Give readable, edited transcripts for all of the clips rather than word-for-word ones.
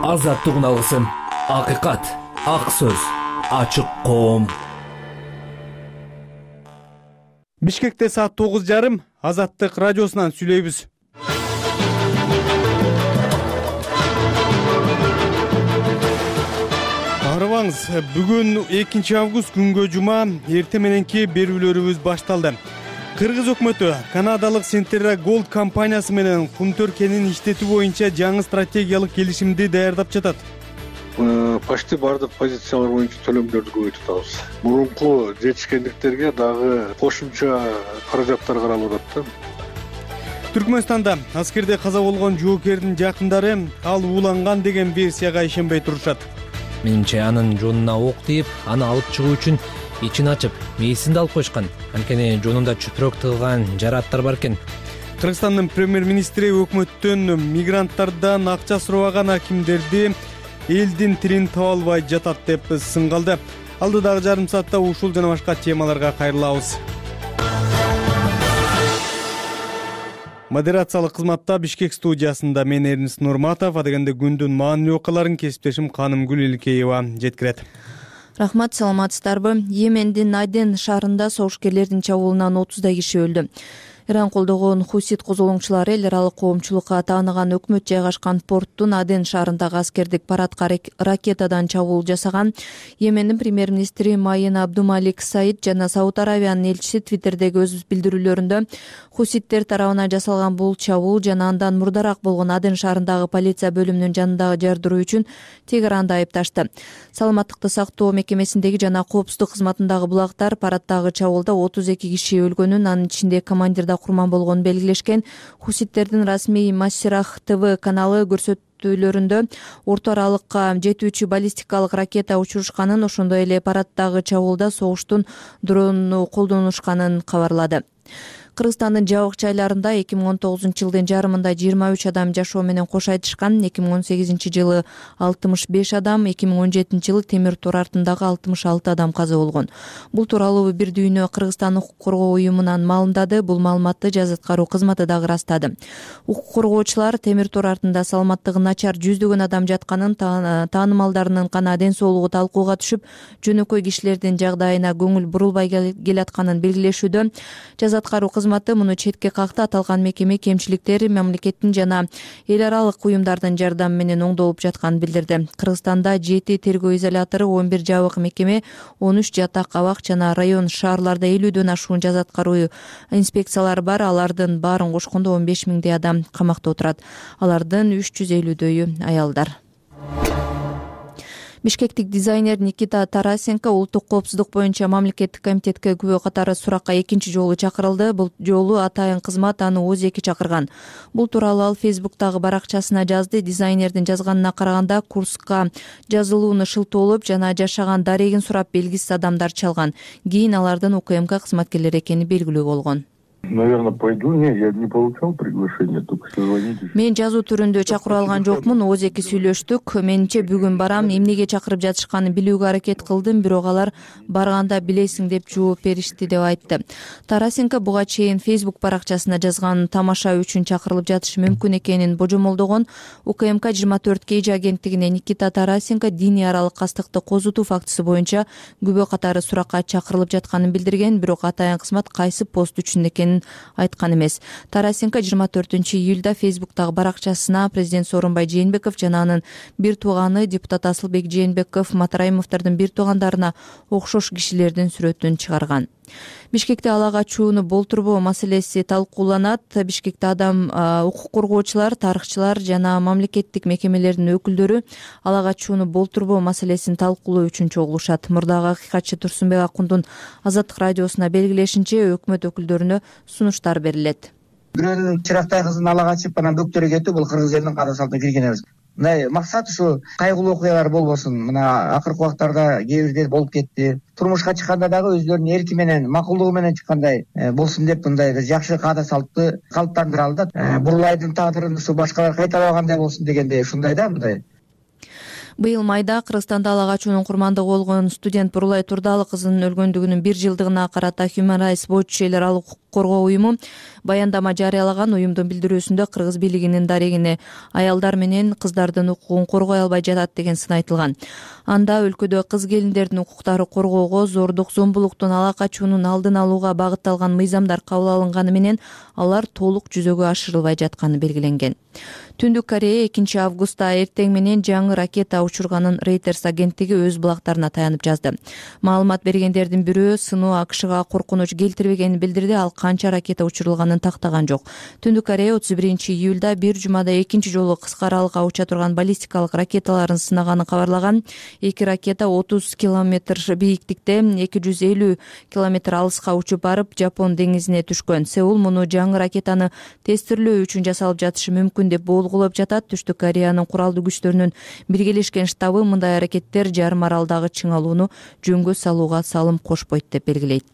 Азаттыгын алгысым, акыйкат, ак сөз, ачык коом. Бишкекте саат 9:30 Азаттык радиосунан сүйлөйбүз. Арыбаңыз, бүгүн 2 август күнгө жума, эртең мененки берүүлөрүбүз башталды. Кыргыз өкмөтү канадалык Centerra Gold компаниясы менен кумтөр кенин иштетүү боюнча жаңы стратегиялык келишимди даярдап жатат. Почти бардык позициялар боюнча төлөмдөрдү көбөйтүп атабыз. Мурунку жетишкендиктерге дагы кошумча каражаттар каралып атат. Түркмөнстанда аскерде каза болгон жоокердин жакындары ал ууланган деген версияга ишенбей турушат. Менимче анын жонуна ок тийип, аны алып чыгуу үчүн ичин ачып, мээсин да алып койшкан. Анткени жонунда чүпүрөк тыгылган жарааттар бар экен. Кыргызстандын премьер-министри өкмөттөн мигранттардан акча сурабаган акимдерди элдин тилин таба албай жатат деп сынгалды. Алдыдагы жарым саатта ушул жана башка темаларга кайрылабыз. Модерациялык кызматта Бишкек студиясында мен Эрнис Нурматов, адегенде күндүн маанилүү окуяларын кесиптешим Канымгүл Илкеева жеткирет. Рахмат, саламатсыздарбы? Йемендин Аден шаарында согушкерлердин чабуулунан 30 киши өлдү. Иран колдогон хусит козголоңчулары эл аралык коомчулукка тааныган өкмөт жайгашкан порттун Аден шаарындагы аскердик парадка ракетадан чабуул жасаган. Йемендин премьер-министри Майен Абдумалик Саид жана Сауд Аравиянын элчиси Твиттердеги өз билдирүүлөрүндө хуситтер тарабынан жасалган бул чабуул жана андан мурдараак болгон Аден шаарындагы полиция бөлүмүнүн жанындагы жардыруу үчүн Тегеранды айыпташты. Саламаттыкты сактоо мекемесиндеги жана коопсуздук кызматындагы булактар парадтагы чабуулда 32 киши өлгөнүн, анын ичинде командир курман болгонун белгилешкен. Хуситтердин расмий Массирах ТВ каналы көрсөтүүлөрүндө орто аралыкка жетүүчү баллистикалык ракета учурушканын, ошондой эле парадтагы чабуулда согуштун дронун колдонушканын кабарлады. Кыргызстандын жабык жайларында 2019-жылдын жарымында 23 адам жашоо менен кош айтышкан. 2018-жылы 65 адам, 2017-жылы темир тор артындагы 66 адам каза болгон. Бул тууралуу Бир дүйнө Кыргызстан укук коргоо уюмунан маалымдады. Бул маалыматты Жаза аткаруу кызматы дагы ырастады. Укук коргоочулар темир тор артында саламаттыгы начар жүздөгөн адам жатканын, таанымалдарынын гана ден соолугу талкууга түшүп, жөнөкөй кишилердин жагдайына көңүл бурулбай келатканын белгилешүүдө. Жаза аткаруу кызматы муну четке какты. Аталган мекеме кемчиликтер мамлекеттин жана эл аралык уюмдардын жардамы менен оңдолуп жатканын билдирди. Кыргызстанда 7 тергөө изолятору, 11 жабык мекеме, 13 жатак абак жана район шаарларда 50дөн ашуун жаза аткаруу инспекциялары бар. Алардын баарын кошкондо 15 миңдей адам камакта отурат. Алардын 350дөйү аялдар. Бишкектик дизайнер Никита Тарасенко улуттук коопсуздук боюнча мамлекеттик комитетке күбө катары суракка 2 жолу чакырылды. Бул жолу атайын кызмат аны өзеки чакырган. Бул тууралуу ал Фейсбуктагы баракчасына жазды. Дизайнердин жазганына караганда курска жазылууну шылтоолоп жана жашаган дарегин сурап белгисиз адамдар чалган. Кийин алардын УКМК кызматкерлери экени белгилүү болгон. Наверное, пойду. Не, я не получал приглашение, только созвонитесь. Мен жазуу түрүндө чакырып алган жокмун, өзеки сүйлөштүк. Менимче бүгүн барам, эмнеге чакырып жатышканын билүүгө аракет кылдым, бирок алар барганда билесиң деп жооп беришти деп айтты. Тарасенко буга чейин Facebook баракчасына жазган тамаша үчүн чакырылып жатышы мүмкүн экенин божомолдогон. УКМК 24 KG агенттигине Никита Тарасенко диний аралык кастыкты козутуу фактысы боюнча күбө катары суракка чакырылып жатканын билдирген, бирок атайын кызмат кайсы пост үчүн экенин айткан эмес. Тарасенко 24-июлда Фейсбуктагы баракчасына президент Сооронбай Жээнбеков жана анын бир тууганы депутат Асылбек Жээнбеков, Матраимовдордун бир туугандарына окшош кишилердин сүрөтүн чыгарган. Бишкекте ала качууну болтурбоо маселеси талкууланат. Бишкекте адам укук коргоочулар, тарыхчылар жана мамлекеттик мекемелердин өкүлдөрү ала качууну болтурбоо маселесин талкуулоо үчүн чогулушат. Мурдагы акыйкатчы Турсунбек Акундун Азаттык радиосуна белгилешинче, өкмөт өкүлдөрүнө сунуштар берилет. Бирөөнүн чырактай кызын ала качып, анан бөктөрү кетүү бул кыргыз элинин кара салтына кирген эмес. Мына максат ушу кайгылуу окуялар болбосун. Мына акыркы убактарда кээ бирде болуп кетти. Турмушка чыкканда дагы өздөрүнүн эрки менен, макулдугу менен чыккандай болсун деп мындай жакшы каада салтты калыптандыра алды. Бурулайдын тагдырын ушу башкалар кайталабагандай болсун дегендей ушундай да мындай. Быйыл майда Кыргызстанда ала качуунун курмандыгы болгон студент Бурулай Турдалы кызынын өлгөндүгүнүн 1 жылдыгына карата Human Rights Watch эл аралык укук коргоо уюму баяндама жарыялаган. Уюмдун билдирүүсүндө кыргыз бийлигинин дарегине аялдар менен кыздардын укугун коргой албай жатат деген сын айтылган. Анда өлкөдө кыз келиндердин укуктары коргоого, зордук, зомбулуктун, ала качуунун алдын алууга багытталган мыйзамдар кабыл алынганы менен алар толук жүзөгө ашырылбай жатканы белгиленген. Түндүк Корея 2 августта эртең менен жаңы ракета учурганын Reuters агенттиги өз булактарына таянып жазды. Маалымат бергендердин бирөө сыноо АКШга коркунуч келтирбегенин билдирди. Ал канча ракета учурулганын тактаган жок. Түндүк Корея 31 июлда бир жумада экинчи жолу кыска аралыкка уча турган баллистикалык ракеталарын сынаганын кабарлаган. 2 ракета 30 километр бийиктикте 250 километр алыска учуп барып Жапон деңизине түшкөн. Сеул муну жаңы ракетаны тестирлөө үчүн жасалып жатышы мүмкүн деп болгулоп жатат. Түштүк Кореянын куралдуу күчтөрүнүн биргелешкен штабы мындай аракеттер жарым аралдагы чыңалууну жөнгө салууга салым кошпойт деп белгилейт.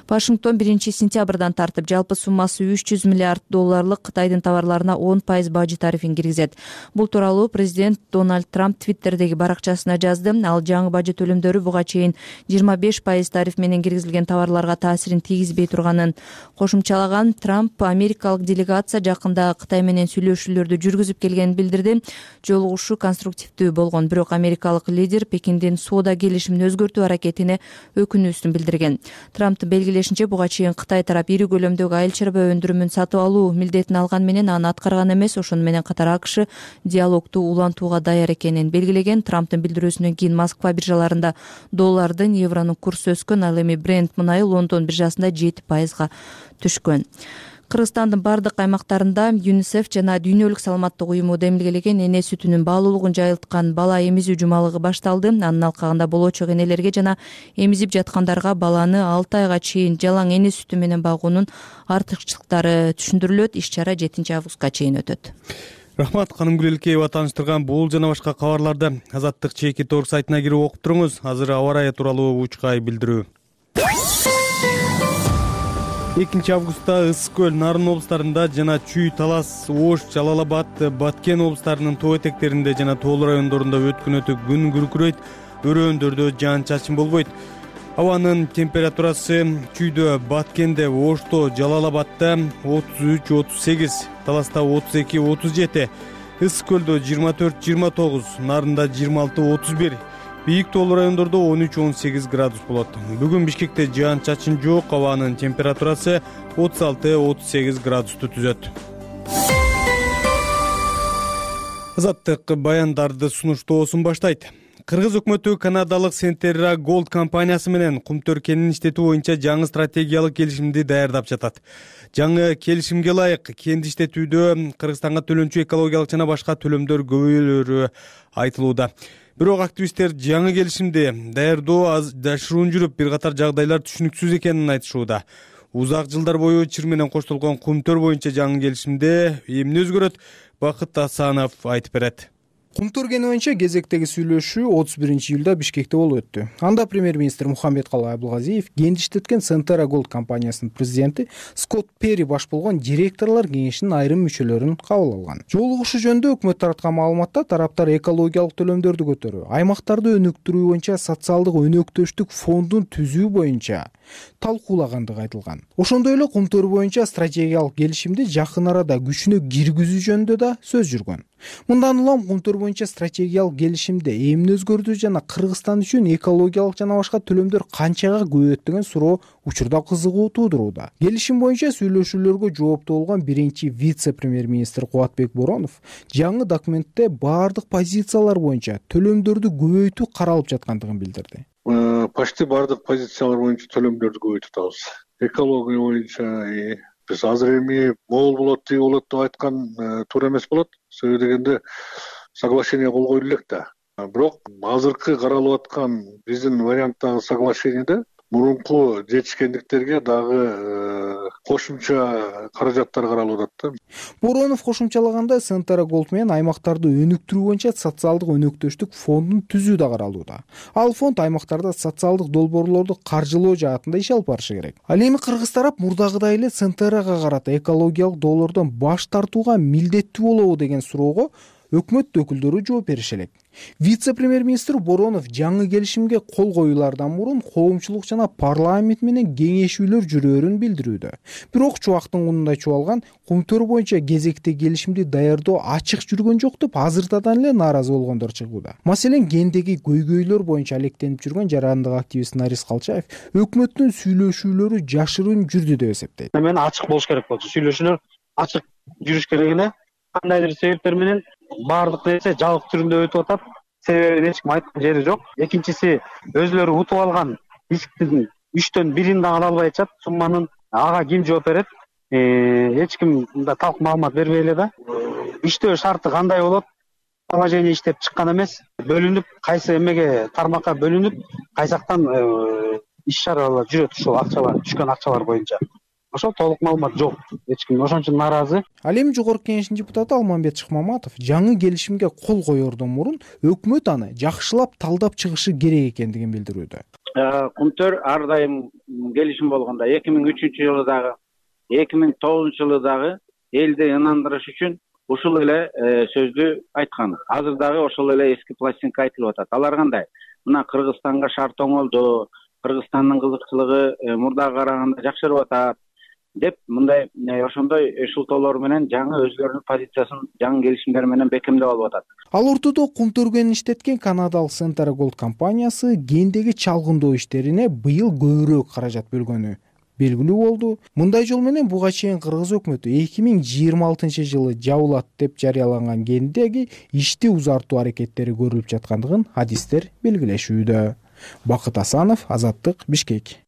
Вашингтон 1 сентябрдан тартып жалпы суммасы $300 миллиард Кытайдын товарларына 10% бажы тарифин киргизет. Бул тууралуу президент Дональд Трамп Твиттердеги баракчасына жазды. Ал жаңы бажы төлөмдөрү буга чейин 25% тариф менен киргизилген товарларга таасирин тийгизбей турганын кошумчалаган. Трамп америкалык делегация жакында Кытай менен сүйлөшүүлөрдү жүргүзүп келгенин билдирди. Жолугушуу конструктивдүү болгон, бирок америкалык лидер Пекиндин соода келишимин өзгөртүү аракетине өкүнүүсүн билдирген. Трамптын белгилешинче, буга чейин Кытай тарап ири көлөмдөгү айыл чарба өндүрүмүн сатып алуу милдетин алган менен аны аткарган эмес. Ошону менен катар АКШ диалогду улантууга даяр экенин белгилеген. Трамптын билдирүүсүнөн кийин Москва биржаларында доллардын, евронун курсу өскөн. Ал эми Brent мунайы Лондон биржасында 7% түшкөн. Кыргызстандын бардык аймактарында ЮНИСЕФ жана Дүйнөлүк саламаттык уюму демилгелеген эне сүтүнүн баалуулугун жайылткан бала эмизүү жумалыгы башталды. Анын алкагында болочок энелерге жана эмизип жаткандарга баланы 6 айга чейин жалаң эне сүтү менен багуунун артыкчылыктары түшүндүрүлөт. Иш-чара 7 августка чейин өтөт. Рахмат, Канымгүл Элкеева тааныштырган бул жана башка кабарларды Азаттык чеки торг сайтына кирип окуп туруңуз. Азыр аба ырайы тууралуу учкай билдирүү. 2 августта Ысык көл, Нарын облустарында жана Чүй, Талас, Ош, Жалал-Абад, Баткен облустарынын тоо этектеринде жана тоолуу райондорунда өткүнөтү күн күркүрөйт, өрөөндөрдө жаан-чачын болбойт. Абанын температурасы Чүйдө, Баткенде, Ошто, Жалал-Абадда 33-38, Таласта 32-37, Ысык көлдө 24-29, Нарында 26-31, бийик тоолуу райондордо 13-18 градус болот. Бүгүн Бишкекте жаан-чачын жок, абанын температурасы 36-38 градусту түзөт. Азаттык баяндарды сунуштоосун баштайт. Кыргыз өкмөтү канадалык Centerra Gold компаниясы менен кумтөр кенин иштетүү боюнча жаңы стратегиялык келишимди даярдап жатат. Жаңы келишимге ылайык кенди иштетүүдө Кыргызстанга төлөнчү экологиялык жана башка төлөмдөр көбөйлөрү айтылууда. Бирок активисттер жаңы келишимди даярдоо жашыруун жүрүп, бир катар жагдайлар түшүнүксүз экенин айтышууда. Узак жылдар бою чыр менен коштолгон кумтөр боюнча жаңы келишимде эмне өзгөрөт? Бакыт Асанов айтып берет. Кумтөр кени боюнча кезектеги сүйлөшүү 31 июлда Бишкекте болуп өттү. Анда премьер-министр Мухаммедкалый Абылгазиев кенди иштеткен Centerra Gold компаниясынын президенти Скотт Перри баш болгон директорлор кеңешинин айрым мүчөлөрүн кабыл алган. Жолугушуу жөнүндө өкмөт тараткан маалыматта тараптар экологиялык төлөмдөрдү көтөрүү, аймактарды өнүктүрүү боюнча социалдык өнөктөштүк фондун түзүү боюнча талкуулагандыгы айтылган. Ошондой эле кумтөр боюнча стратегиялык келишимди жакын арада күчүнө киргизүү жөнүндө да сөз жүргөн. Мындан улам кумтөр боюнча стратегиялык келишимде эмне өзгөрдү жана Кыргызстан үчүн экологиялык жана башка төлөмдөр канчага көбөйөт деген суроо учурда кызыгуу туудурууда. Келишим боюнча сүйлөшүүлөргө жооптуу болгон биринчи вице-премьер-министр Кубатбек Боронов жаңы документте баардык позициялар боюнча төлөмдөрдү көбөйтүү каралып жаткандыгын билдирди. Почти баардык позициялар боюнча төлөмдөрдү көбөйтүп атабыз. Экология боюнча биз азыр эми могул болот, тиги болот деп айткан туура эмес болот. Себеби дегенде соглашение кол коюлу элек да. Бирок азыркы каралып аткан биздин варианттагы соглашениеде мурунку жетишкендиктерге дагы кошумча каражаттар каралып атат да. Боронов кошумчалагандай Centerra Gold менен аймактарды өнүктүрүү боюнча социалдык өнөктөштүк фондун түзүү да каралууда. Ал фонд аймактарда социалдык долбоорлорду каржылоо жаатында иш алып барышы керек. Ал эми кыргыз тарап мурдагыдай эле Centerrага карата экологиялык долбоордон баш тартууга милдеттүү болобу деген суроого өкмөт өкүлдөрү жооп берише элек. Вице-премьер-министр Боронов жаңы келишимге кол коюлардан мурун коомчулук жана парламент менен кеңешүүлөр жүрөөрүн билдирүүдө. Бирок чубактын кунундай чубалган Кумтөр боюнча кезекте келишимди даярдоо ачык жүргөн жок деп азыртадан эле нааразы болгондор чыгууда. Маселен, гендеги көйгөйлөр боюнча алектенип жүргөн жарандык активист Нарис Калчаев өкмөттүн сүйлөшүүлөрү жашыруун жүрдү деп эсептейт. Мен ачык болуш керек болчу. Сүйлөшүүлөр ачык жүрүш керек эле. Кандайдыр себептер менен баардык нерсе жабык түрүндө өтүп атат. Себебин эч ким айткан жери жок. Экинчиси, өзүлөрү утуп алган исктин 3төн 1-ин да ала албай атышат. Сумманын ага ким жооп берет? Эч ким мында талк маалымат бербей эле да. Иштөө шарты кандай болот? Положение иштеп чыккан эмес. Бөлүнүп, кайсы эмеге тармакка бөлүнүп, кайсактан иш чаралар жүрөт ушул акчалар, түшкөн акчалар боюнча. Ошол толук маалымат жок. Эч ким ошон үчүн нааразы. Ал эми Жогорку Кеңештин депутаты Алмамбет Шыкмаматов жаңы келишимге кол коердон мурун өкмөт аны жакшылап талдап чыгышы керек экендигин билдирүүдө. Кумтөр ар дайым келишим болгондо 2003-жылы дагы, 2009-жылы дагы элди ынандырыш үчүн ушул эле сөздү айткан. Азыр дагы ошол эле эски пластинка айтылып атат. Алар кандай? Мына Кыргызстанга шарт оңолду, Кыргызстандын кызыкчылыгы мурдага караганда жакшырып атат деп мындай ошондой шылтоолор менен жаңы өзлөрүнүн позициясын жаңы келишимдер менен бекемдеп алып атат. Ал ортодо Кумтөргөн иштеткен канадалык Centera Gold компаниясы гендеги чалгындоо иштерине быйыл көбүрөөк каражат бөлгөнү белгилүү болду. Мындай жол менен буга чейин кыргыз өкмөтү 2026-жылы жабылат деп жарыяланган гендеги ишти узартуу аракеттери көрүлүп жаткандыгын адистер белгилешүүдө. Бакыт Асанов, Азаттык, Бишкек.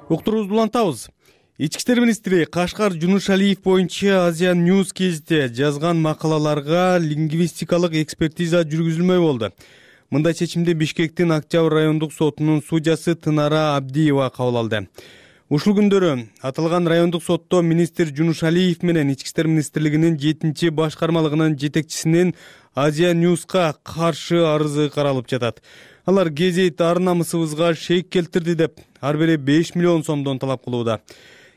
Уктуруубузду улантабыз. Ички иштер министри Кашкар Жунушалиев боюнча Азия News гезитте жазган макалаларга лингвистикалык экспертиза жүргүзүлмөй болду. Мындай чечимди Бишкектин Октябрь райондук сотунун судьясы Тынара Абдиева кабыл алды. Ушул күндөрү аталган райондук сотто министр Жунушалиев менен Ички иштер министрлигинин 7-башкармалыгынын жетекчисинин Азия News'ка каршы арызы каралып жатат. Алар гезит ар намысыбызга шек келтирди деп ар бири 5 миллион сомдон талап кылууда.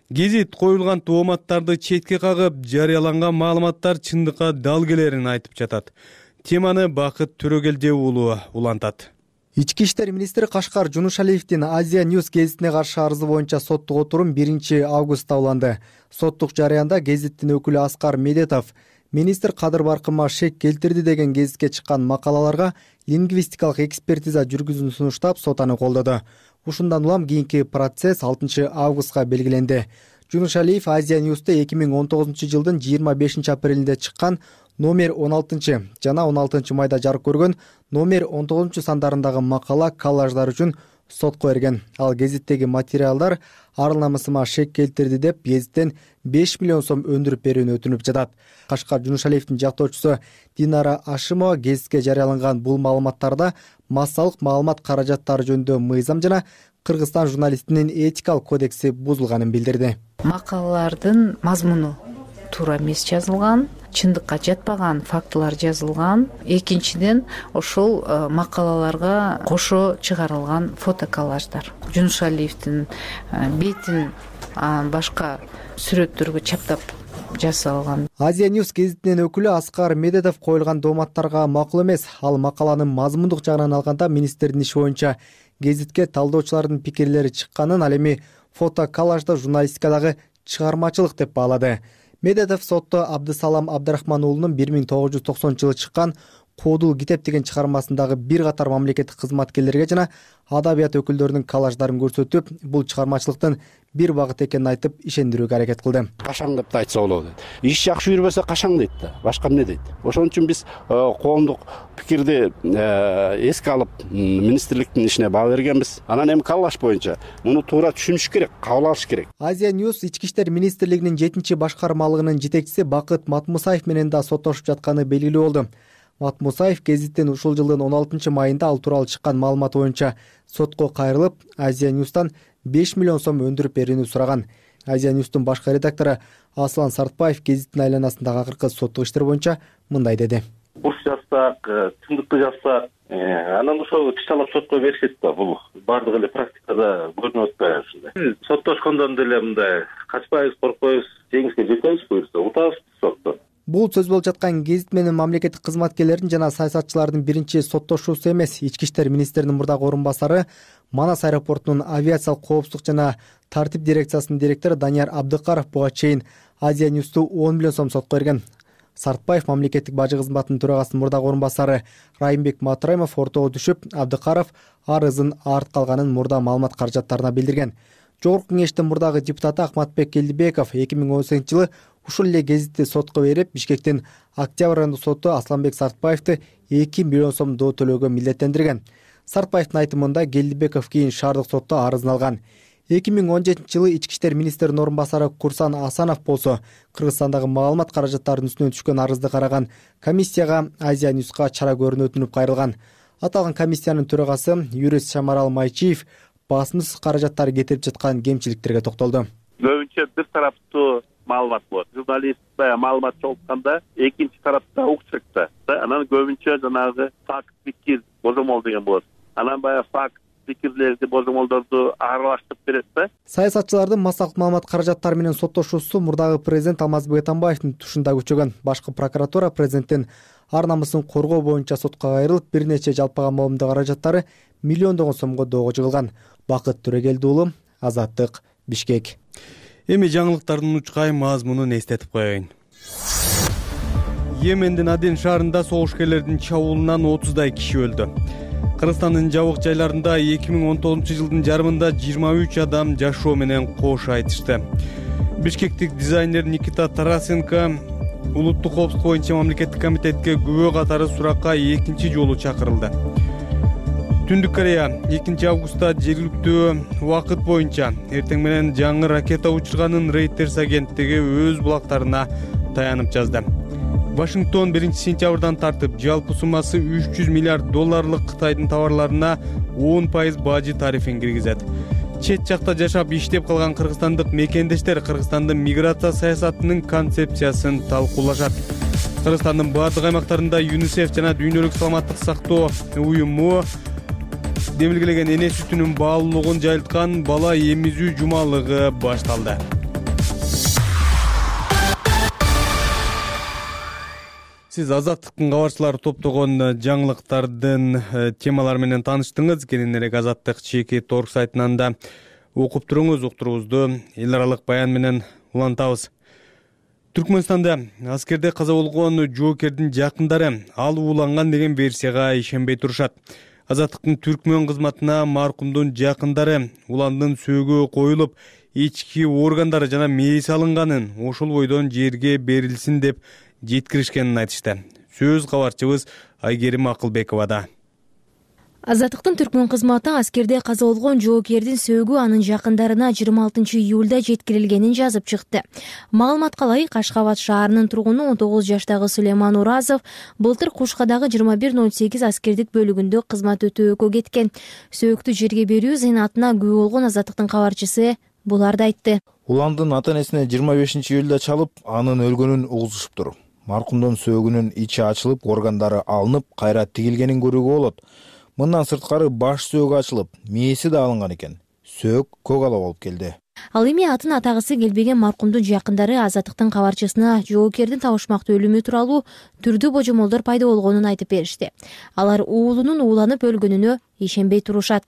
Гезит коюлган тооматтарды четке кагып, жарыяланган маалыматтар чындыкка дал келерин айтып жатат. Теманы Бакыт Төрөгелди уулу улантат. Ички иштер министри Кашкар Жунушалиевдин Азия News гезитине каршы арызы боюнча соттук отурум 1-августта уланды. Соттук жарыянда гезиттин өкүлү Аскар Медетов министр кадыр баркыма шек келтирди деген гезитке чыккан макалаларга лингвистикалык экспертиза жүргүзүүнү сунуштап сот аны колдоду. Ушундан улам кийинки процесс 6-августка белгиленди. Жунушалиев Азия News'те 2019-жылдын 25-апрелинде чыккан номер 16 жана 16 майда жарык көргөн номер 19 сандарындагы макала коллаждар үчүн сотко берген. Ал гезиттеги материалдар ар намысыма шек келтирди деп гезиттен 5 миллион сом өндүрүп берүүнү өтүнүп жатат. Кашкар Жунушалиевдин жактоочусу Динара Ашимова гезитке жарыяланган бул маалыматтарда массалык маалымат каражаттары жөнүндө мыйзам жана Кыргызстан журналистинин этикалык кодекси бузулганын билдирди. Макалалардын мазмуну туура эмес жазылган, чындыкка жатпаган фактылар жазылган. Экинчиден, ошол макалаларга кошо чыгарылган фотоколлаждар. Жунушалиевдин бетин башка сүрөттөргө чаптап жасалган. Азия News гезитинин өкүлү Аскар Медетов коюлган дооматтарга макул эмес. Ал макаланын мазмундук жагынан алганда министрдин иши боюнча гезитке талдоочулардын пикирлери чыкканын, ал эми фотоколлажда журналистикадагы чыгармачылык деп баалады. Медетов сотто Абдысалам Абдрахман уулунун 1990-жылы чыккан Коодул китеп деген чыгармасындагы бир катар мамлекеттик кызматкерлерге жана адабият өкүлдөрүнүн коллаждарын көрсөтүп, бул чыгармачылыктын бир багыт экенин айтып ишендирүүгө аракет кылды. Кашаң деп да айтса болот. Иш жакшы жүрбөсө кашаң дейт да, башка эмне дейт. Ошон үчүн биз коомдук пикирди эске алып, министрликтин ишине баа бергенбиз. Анан эми коллаж боюнча муну туура түшүнүш керек, кабыл алыш керек. Азия News Ички иштер министрлигинин 7-башкармалыгынын жетекчиси Бакыт Матмусаев менен да соттошуп жатканы белгилүү болду. Матмусаев гезиттин ушул жылдын 16 майында ал тууралуу чыккан маалымат боюнча сотко кайрылып, Азия News'тан 5 миллион сом өндүрүп берүүнү сураган. Азия News'тун башкы редактору Аслан Сартбаев гезиттин айланасындагы акыркы соттук иштер боюнча мындай деди. Буш жазсак, чындыкты жазсак, анан ошол тишталап сотко беришет да. Бул бардыгы эле практика да көрүнүп атпайбы ушундай. Биз соттошкондон деле мындай качпайбыз, коркпойбуз, жеңишке жетебиз буюрса, утабыз соттон. Бул сөз болуп жаткан гезит менен мамлекеттик кызматкерлердин жана саясатчылардын биринчи соттошуусу эмес. Ички иштер министринин мурдагы орун басары, Манас аэропортунун авиациялык коопсуздук жана тартип дирекциясынын директору Данияр Абдыкаров буга чейин Азия Ньюсту 10 миллион сом сотко берген. Сартбаев мамлекеттик бажы кызматынын төрагасынын мурдагы орун басары Райымбек Матраимов ортого түшүп, Абдыкаров арызын арт калганын мурда маалымат каражаттарына билдирген. Жогорку кеңештин мурдагы депутаты Акматбек Келдибеков 2018-жылы ушул эле гезитти сотко берип, Бишкектин Октябрь райондук соту Асланбек Сартбаевди 2 миллион сом доо төлөөгө милдеттендирген. Сартбаевдин айтымында Келдибеков кийин шаардык сотто арызын алган. 2017-жылы ички иштер министринин орун басары Курсан Асанов болсо, Кыргызстандагы маалымат каражаттарынын үстүнөн түшкөн арызды караган комиссияга Азия Ньюска чара көрүүнү өтүнүп кайрылган. Аталган комиссиянын төрагасы юрист Шамарал Майчиев басымсыз каражаттары кетирип жаткан кемчиликтерге токтолду. Көбүнчө бир тараптуу маалымат болот. Журналист маалымат чогултканда экинчи тарапта укчек да. Анан көбүнчө жанагы факт, пикир, божомол деген болот. Анан факт, пикирлерди, божомолдорду аралаштырып берет да. Саясатчылардын массалык маалымат каражаттары менен соттошуусу мурдагы президент Алмазбек Атамбаевдин тушунда күчөгөн. Башкы прокуратура президенттин ар намысын коргоо боюнча сотко кайрылып, бир нече жалпыга маалымдоо каражаттары миллиондогон сомго доого жыгылган. Бакыт Төрөгелди уулу, Азаттык, Бишкек. Эми жаңылыктардын учкай мазмунун эстетип коеюн. Йемендин Аден шаарында согушкерлердин чабуулунан 30дай киши өлдү. Кыргызстандын жабык жайларында 2019-жылдын жарымында 23 адам жашоо менен кош айтышты. Бишкектик дизайнер Никита Тарасенко улуттук коопсуздук боюнча мамлекеттик комитетке күбө катары суракка экинчи жолу чакырылды. Түндүк Корея 2 августта жергиликтүү убакыт боюнча эртең менен жаңы ракета учурганын Reuters агенттиги өз булактарына таянып жазды. Вашингтон 1-сентябрдан тартып жалпы суммасы $300 миллиард Кытайдын товарларына 10% бажы тарифин киргизет. Чет жакта жашап иштеп калган кыргызстандык мекендештер Кыргызстандын миграция саясатынын концепциясын талкуулашат. Кыргызстандын бардык аймактарында ЮНИСЕФ жана Дүйнөлүк саламаттык сактоо уюму демилгелеген эне сүтүнүн баалуулугун жайылткан бала эмизүү жумалыгы башталды. Сиз Азаттыктын кабарчылары топтогон жаңылыктардын темалары менен тааныштыңыз. Кененирээк Азаттык чеки торг сайтынан да окуп туруңуз. Уктуруубузду эл аралык баян менен улантабыз. Түркмөнстанда аскерде каза болгон жоокердин жакындары ал ууланган деген версияга ишенбей турушат. Азаттыктын түркмөн кызматына маркумдун жакындары уландын сөөгү коюлуп, ички органдары жана мээси алынганын, ошол бойдон жерге берилсин деп жеткиришкенин айтышты. Сөз кабарчыбыз Айгерим Акылбековада. Азаттыктын түркмөн кызматы аскерде каза болгон жоокердин сөөгү анын жакындарына 26 июлда жеткирилгенин жазып чыкты. Маалыматка ылайык, Ашкабад шаарынын тургуну 19 жаштагы Сулейман Уразов былтыр Кушкадагы 2108 аскердик бөлүгүндө кызмат өтөөгө кеткен. Сөөктү жерге берүү зыйнатына күбө болгон Азаттыктын кабарчысы буларды айтты. Уландын ата-энесине 25 июлда чалып, анын өлгөнүн угузушуптур. Маркумдун сөөгүнүн ичи ачылып, органдары алынып, кайра тигилгенин көрүүгө болот. Мындан сырткары баш сөөгү ачылып, мээси да алынган экен. Сөök көк ала болуп келди. Ал эми атын атагысы келбеген маркумдун жакындары Азаттыктын кабарчысына жоокердин табышмактуу өлүмү тууралуу түрдүү божомолдор пайда болгонун айтып беришти. Алар уулунун ууланып өлгөнүнө ишенбей турушат.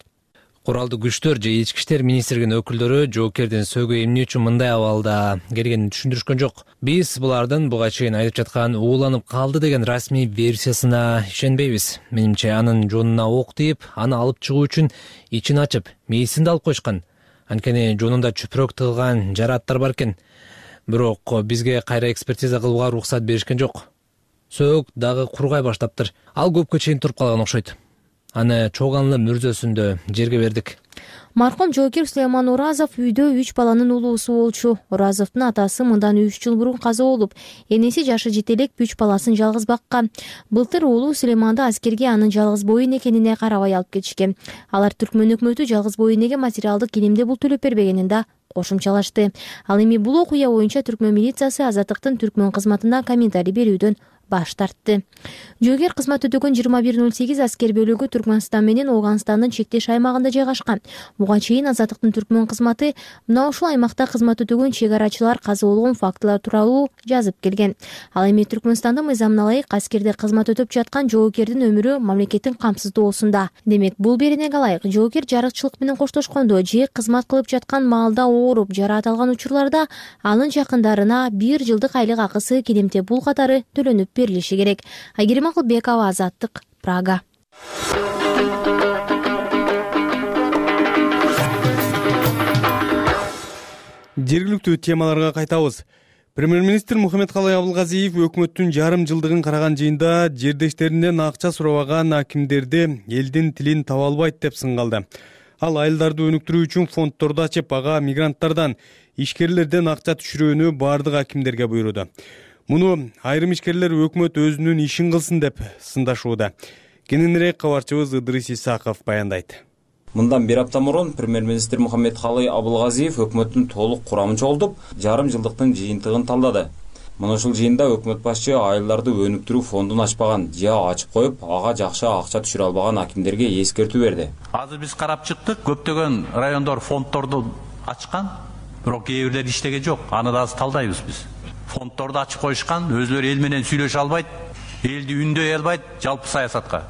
Куралдуу күчтөр же ички иштер министрлигинин өкүлдөрү жоокердин сөөгү эмне үчүн мындай абалда келгенин түшүндүрүшкөн жок. Биз булардын буга чейин айтып жаткан ууланып калды деген расмий версиясына ишенбейбиз. Менимче анын жонуна ок тийип, аны алып чыгуу үчүн ичин ачып, мээсин да алып койшкан. Анткени жонунда чүпүрөк тыгылган жараттар бар экен. Бирок бизге кайра экспертиза кылууга уруксат беришкен жок. Сөөк дагы кургай баштаптыр. Ал көпкө чейин туруп калган окшойт. Аны чогонлы мүрзөсүндө жерге бердик. Маркум жоокер Сулейман Уразов үйдө 3 баланын улуусу болчу. Уразовдун атасы мындан 3 жыл мурун каза болуп, энеси жашы жете элек 3 баласын жалгыз баккан. Былтыр уулу Сулейманды аскерге анын жалгыз боюн экенине карабай алып кетишкен. Алар Түркмөн өкмөтү жалгыз боюн эге материалдык иримди бул төлөп бербегенин да кошумчалашты. Ал эми бул окуя боюнча Түркмөн милициясы Азаттыктын түркмөн кызматына комментарий берүүдөн баш тартты. Жоокер кызмат өтөгөн 2108 аскер бөлүгү Түркмөнстан менен Ооганстандын чектеш аймагында жайгашкан. Буга чейин Азаттыктын Түркмөн кызматы мына ушул аймакта кызмат өтөгөн чек арачылар каза болгон фактылар тууралуу жазып келген. Ал эми Түркмөнстанда мыйзамына ылайык аскерде кызмат өтөп жаткан жоокердин өмүрү мамлекеттин камсыздоосунда. Демек, бул беренеге ылайык жоокер жарыкчылык менен коштошкондо же кызмат кылып жаткан маалда ооруп жараат алган учурларда анын жакындарына 1 жылдык айлык акысы кедемте бул катары төлөнүп берилиши керек. Айгерим Акылбекова, Азаттык, Прага. Жергиликтүү темаларга кайтабыз. Премьер-министр Мухаммедкалый Абылгазиев өкмөттүн жарым жылдыгын караган жыйында жердештеринен акча сурабаган акимдерди элдин тилин таба албайт деп сынгалды. Ал айылдарды өнүктүрүү үчүн фонддорду ачып, ага мигранттардан, ишкерлерден акча түшүрүүнү бардык акимдерге буйруду. Муну айрым ишкерлер өкмөт өзүнүн ишин кылсын деп сындашууда. Кененирээк кабарчыбыз Ыдрис Исаков баяндайт. Мындан 1 апта мурун премьер-министр Мухаммедкалый Абылгазиев өкмөттүн толук курамын чогултуп, жарым жылдыктын жыйынтыгын талдады. Мына ушул жыйында өкмөт башчы айылдарды өнүктүрүү фондун ачпаган же ачып коюп, ага жакшы акча түшүрө албаган акимдерге эскертүү берди. Азыр биз карап чыктык, көптөгөн райондор фонддорду ачкан, бирок кээ бирлери иштеген жок. Аны да азыр талдайбыз биз. Фонддорду ачып коюшкан, өзлөрү эл менен сүйлөшө албайт, элди үндөй албайт жалпы саясатка.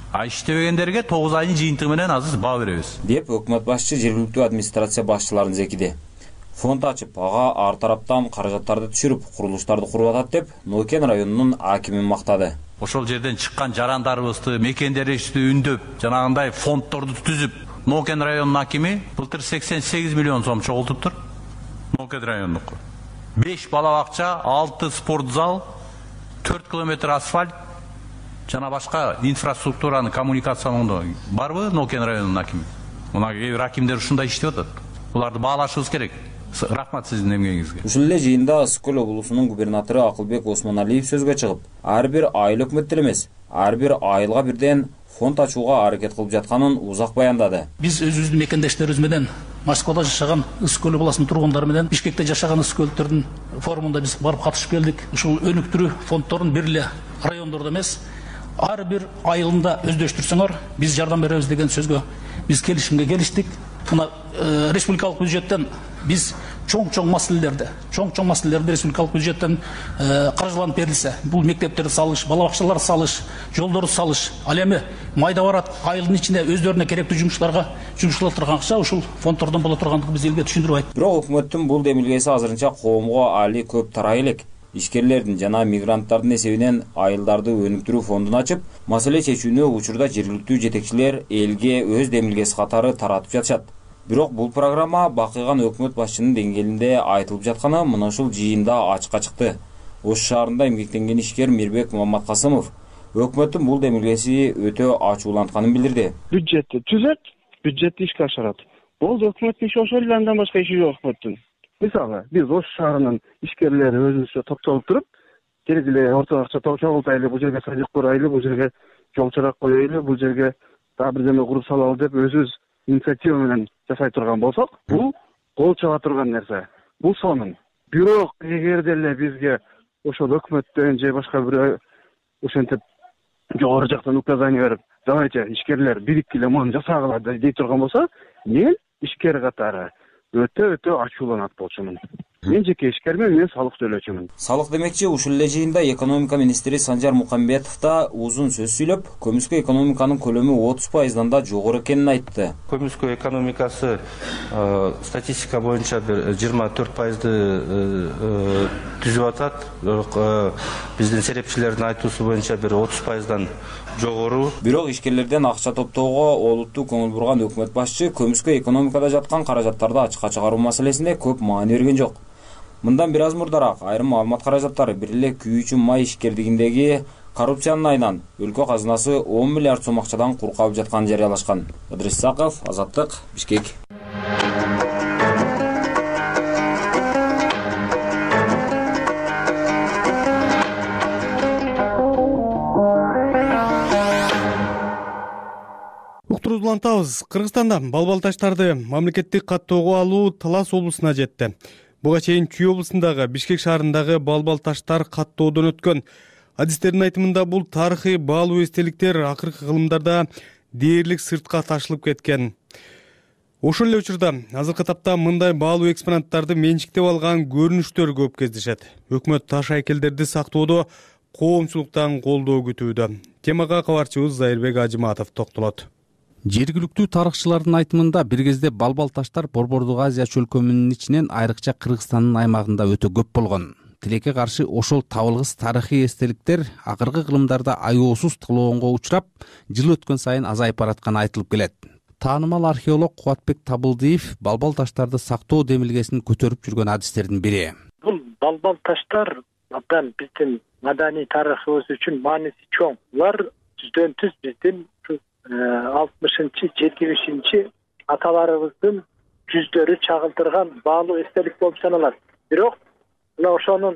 Иштебегендерге 9 айдын жыйынтыгы менен азыр баа беребиз, деп өкмөт башчы жергиликтүү администрация башчыларын зекиди. Фонд ачып, ага ар тараптан каражаттарды түшүрүп, курулуштарды куруп атат деп Нокен районунун акимин мактады. Ошол жерден чыккан жарандарыбызды, мекендерибизди үндөп, жанагындай фонддорду түзүп, Нокен районунун акими былтыр 88 миллион сом чогултуптур. Нокен районунуку 5 бала бакча, 6 спорт зал, 4 километр асфальт, жана башка инфраструктураны коммуникациялоодо барбы Нокен районунун акими? Мына кээ бир акимдер ушундай иштеп атат. Буларды баалашыбыз керек. Рахмат сиздин эмгегиңизге. Ушул эле жыйында Скөл облусунун губернатору Акылбек Осмоналиев сөзгө чыгып, ар бир айыл өкмөттөр элемес, ар бир айылга бирден фонд ачууга аракет кылып жатканын узак баяндады. Биз өзүбүздүн мекендештерибиз менен Москвада жашаган Скөл облусунун тургундары менен Бишкекте жашаган скөлдөрдүн форумунда биз барып катышып келдик. Ушул өнүктүрүү фонддорун бир эле райондордо эмес, ар бир айылында өздөштүрсөңөр, биз жардам беребиз деген сөзгө биз келишимге келиштик. Мына республикалык бюджеттен биз чоң маселелерди республикалык бюджеттен каржыланып берилсе, бул мектептерди салыш, бала бакчаларды салыш, жолдорду салыш, ал эми майда барат айылдын ичинде өздөрүнө керектүү жумуштарга жумшала турган акча ушул фонддордон боло тургандыгы биз элге түшүндүрүп айттык. Бирок өкмөттүн бул демилгеси азырынча коомго али көп тарай элек. Ишкерлердин жана мигранттардын эсебинен айылдарды өнүктүрүү фондун ачып, маселе чечүүнү учурда жергиликтүү жетекчилер элге өз демилгеси катары таратып жатышат. Бирок бул программа бакыйган өкмөт башчынын деңгээлинде айтылып жатканы мына ушул жыйында ачыкка чыкты. Ош шаарында эмгектенген ишкер Мирбек Маматкасымов өкмөттүн бул демилгеси өтө ачуулантканын билдирди. Бюджетти түзөт, бюджетти ишке ашырат. Болду, өкмөттүн иши ошол эле, андан башка иши жок өкмөттүн. Мисалы, биз Ош шаарынын ишкерлери өзүбүзчө топтолуп туруп, керек эле орто акча чогултайлы, бул жерге садик курайлы, бул жерге жол чырак коелу, бул жерге дагы бир жерге куруп салалы деп өзүбүз инициатива менен жасай турган болсок, бул кол чаба турган нерсе. Бул сонун. Бирок эгерде эле бизге ошол өкмөттөн же башка бир ошентип жогору жактан указание берип, давайте ишкерлер бириккиле муну жасагыла дей турган болсо, мен ишкер катары өтө ачууланат болчумун. Мен жеке ишкермен, мен салык төлөөчүмүн. Салык демекчи, ушул эле жыйында экономика министри Санжар Мукамбетов да узун сөз сүйлөп, көмүскө экономиканын көлөмү 30%дан да жогору экенин айтты. Көмүскө экономикасы статистика боюнча 24%ды түзүп атат. Бирок биздин серепчилердин айтуусу боюнча 30%дан жогору. Бирок ишкерлерден акча топтоого олуттуу көңүл бурган өкмөт башчы көмүскө экономикада жаткан каражаттарды ачыкка чыгаруу маселесине көп маани берген жок. Мындан бир аз мурдараак айрым маалымат каражаттары бир эле күйүүчү май ишкердигиндеги коррупциянын айынан өлкө казынасы 10 миллиард сом акчадан кур калып жатканын жарыялашкан. Ыдрис Исаков, Азаттык, Бишкек. Улантабыз. Кыргызстанда балбал таштарды мамлекеттик каттоого алуу Талас облусуна жетти. Буга чейин Чүй облусундагы Бишкек шаарындагы балбал таштар каттоодон өткөн. Адистердин айтымында бул тарыхый баалуу эстеликтер акыркы кылымдарда дээрлик сыртка ташылып кеткен. Ошол эле учурда азыркы тапта мындай баалуу экспонаттарды менчиктеп алган көрүнүштөр көп кездешет. Өкмөт таш айкелдерди сактоодо коомчулуктан колдоо күтүүдө. Темага кабарчыбыз Зайырбек Ажыматов токтолот. Жергиликтүү тарыхчылардын айтымында бир кезде балбал таштар Борбордук Азия чөлкөмүнүн ичинен айрыкча Кыргызстандын аймагында өтө көп болгон. Тилекке каршы ошол табылгыс тарыхый эстеликтер акыркы кылымдарда аеосуз талоонго учурап, жыл өткөн сайын азайып баратканы айтылып келет. Таанымал археолог Кубатбек Табылдиев балбал таштарды сактоо демилгесин көтөрүп жүргөн адистердин бири. Бул балбал таштар абдан биздин маданий тарыхыбыз үчүн мааниси чоң. Булар жүздөн түз биздин 60-70 аталарыбыздын жүздөрү чагылдырган баалуу эстелик болуп саналат. Бирок мына ошонун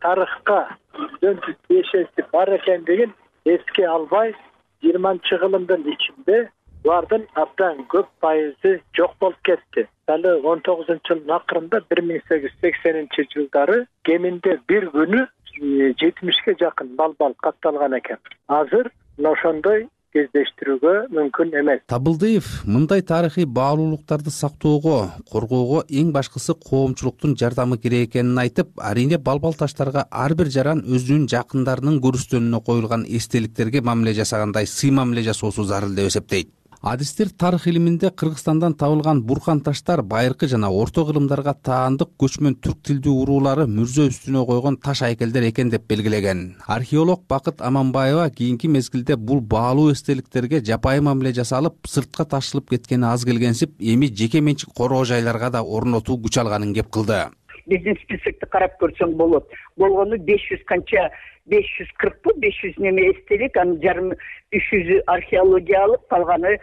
тарыхка жүздөн түз тиешеси бар экендигин эске албай 20-кылымдын ичинде булардын абдан көп пайызы жок болуп кетти. Далы 19-жылдын акырында 1880-жылдары кеминде бир күнү 70ке жакын балбал катталган экен. Азыр ошондой кездештирүүгө мүмкүн эмес. Табылдиев мындай тарыхый баалуулуктарды сактоого, коргоого эң башкысы коомчулуктун жардамы керек экенин айтып, арийне балбал таштарга ар бир жаран өзүнүн жакындарынын көрүстөнүнө коюлган эстеликтерге мамиле жасагандай сый мамиле жасоосу зарыл деп эсептейт. Адистер тарых илиминде Кыргызстандан табылган буркан таштар байыркы жана орто кылымдарга таандык көчмөн түрк тилдүү уруулары мүрзө үстүнө койгон таш айкелдер экен деп белгилеген. Археолог Бакыт Аманбаева кийинки мезгилде бул баалуу эстеликтерге жапайы мамиле жасалып, сыртка ташылып кеткени аз келгенсип, эми жеке менчик короо жайларга да орнотуу күч алганын кеп кылды. Биздин списокто карап көрсөң болот. Болгону 500 канча 540 500 неме эстелик, анын жарым 300 археологиялык, калганы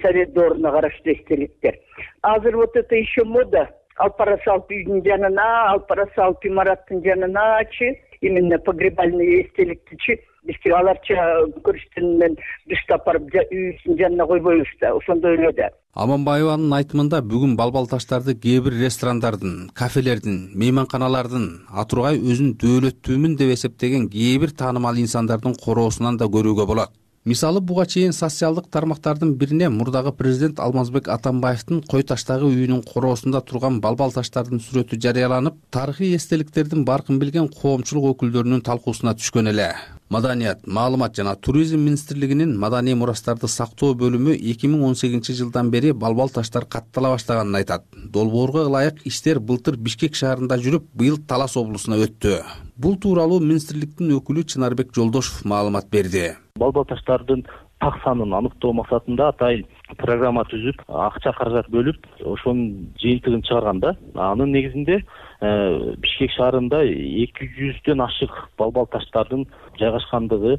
совет дооруна караштуу эстеликтер. Азыр вот это еще мода. Алпарасалп үйдүн жанына, Алпарасалп имараттын жаныначы, именно погребальный эстеликтичи бизге аларча көрүштүнөн дыштап барып үйүнүн жанына койбойбуз да, ошондой эле да. Аманбаеванын айтымында бүгүн балбал таштарды кээ бир ресторандардын, кафелердин, мейманканалардын, атургай өзүн дөөлөттүүмүн деп эсептеген кээ бир таанымал инсандардын короосунан да көрүүгө болот. Мисалы, буга чейин социалдык тармактардын бирине мурдагы президент Алмазбек Атамбаевдин кой таштагы үйүнүн короосунда турган балбал таштардын сүрөтү жарыяланып, тарыхый эстеликтердин баркын билген коомчулук өкүлдөрүнүн талкуусуна түшкөн эле. Маданият, маалымат жана туризм министрлигинин маданий мурастарды сактоо бөлүмү 2018-жылдан бери балбал таштар каттала баштаганын айтат. Долбоорго ылайык иштер былтыр Бишкек шаарында жүрүп, быйыл Талас облусуна өттү. Бул тууралуу министрликтин өкүлү Чынарбек Жолдошов маалымат берди. Балбал таштардын так санын аныктоо максатында атайын программа түзүп, акча каражат бөлүп, ошонун жыйынтыгын чыгарганда, анын негизинде Бишкек шаарында 200дөн ашык балбал таштардын жайгашкандыгы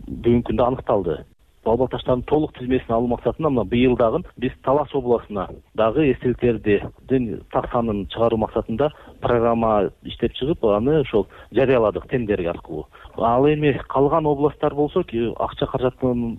бүгүнкү күндө аныкталды. Балбал таштардын толук тизмесин алуу максатында мына быйыл дагы биз Талас областына дагы эстеликтердин так санын чыгаруу максатында программа иштеп чыгып, аны ошол жарыяладык тендер аркылуу. Ал эми калган областтар болсо, акча каражатына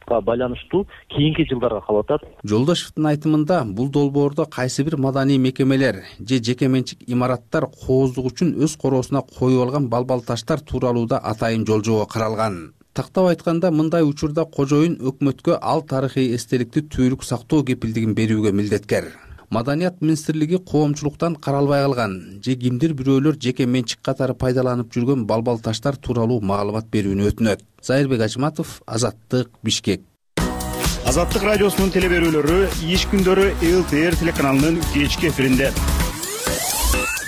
байланыштуу кийинки жылдарга калып атат. Жолдошевдун айтымында бул долбоордо кайсы бир маданий мекемелер же жеке менчик имараттар кооздук үчүн өз короосуна коюп алган балбал таштар тууралууда атайын жол-жобо каралган. Тактап айтканда, мындай учурда кожоюн өкмөткө ал тарыхый эстеликти түбөлүк сактоо кепилдигин берүүгө милдеткер. Маданият министрлиги коомчулуктан каралбай калган же кимдир бирөөлөр жеке менчик катары пайдаланып жүргөн балбал таштар тууралуу маалымат берүүнү өтүнөт. Зайырбек Ажыматов, Азаттык, Бишкек. Азаттык радиосунун телеберүүлөрү иш күндөрү ЛТР телеканалынын кечки эфиринде.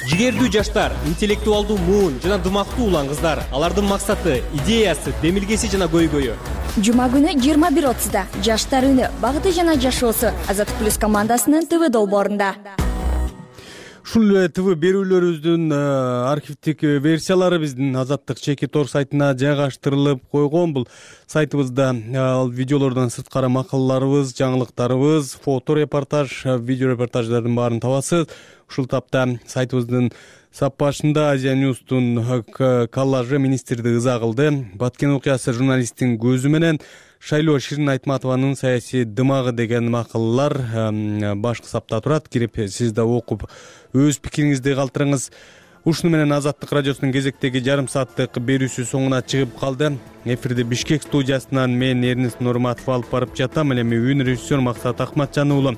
Жигердүү жаштар, интеллектуалдуу муун жана дымактуу улан кыздар. Алардын максаты, идеясы, демилгеси жана көйгөйү. Жума күнү 21:30да Жаштар үнү, багыты жана жашоосу Азаттык плюс командасынын ТВ долбоорунда. Ушул эле ТВ берүүлөрүбүздүн архивдик версиялары биздин Азаттык чеки тор сайтына жайгаштырылып койгон. Бул сайтыбызда видеолордон сырткары макалаларыбыз, жаңылыктарыбыз, фото репортаж, видео репортаждардын баарын табасыз. Ушул тапта сайтыбыздын сап башында Азия Ньюстун коллажы министрди ыза кылды. Баткен окуясы журналисттин көзү менен Шайлоо Ширин Айтматованын саясий дымагы деген макалалар башкы сапта турат. Кирип сиз да окуп өз пикириңизди калтырыңыз. Ушуну менен Азаттык радиосунун кезектеги жарым сааттык берүүсү соңуна чыгып калды. Эфирди Бишкек студиясынан мен Эрнест Нурматов алып барып жатам. Эми үн режиссер Максат Акматжан уулу.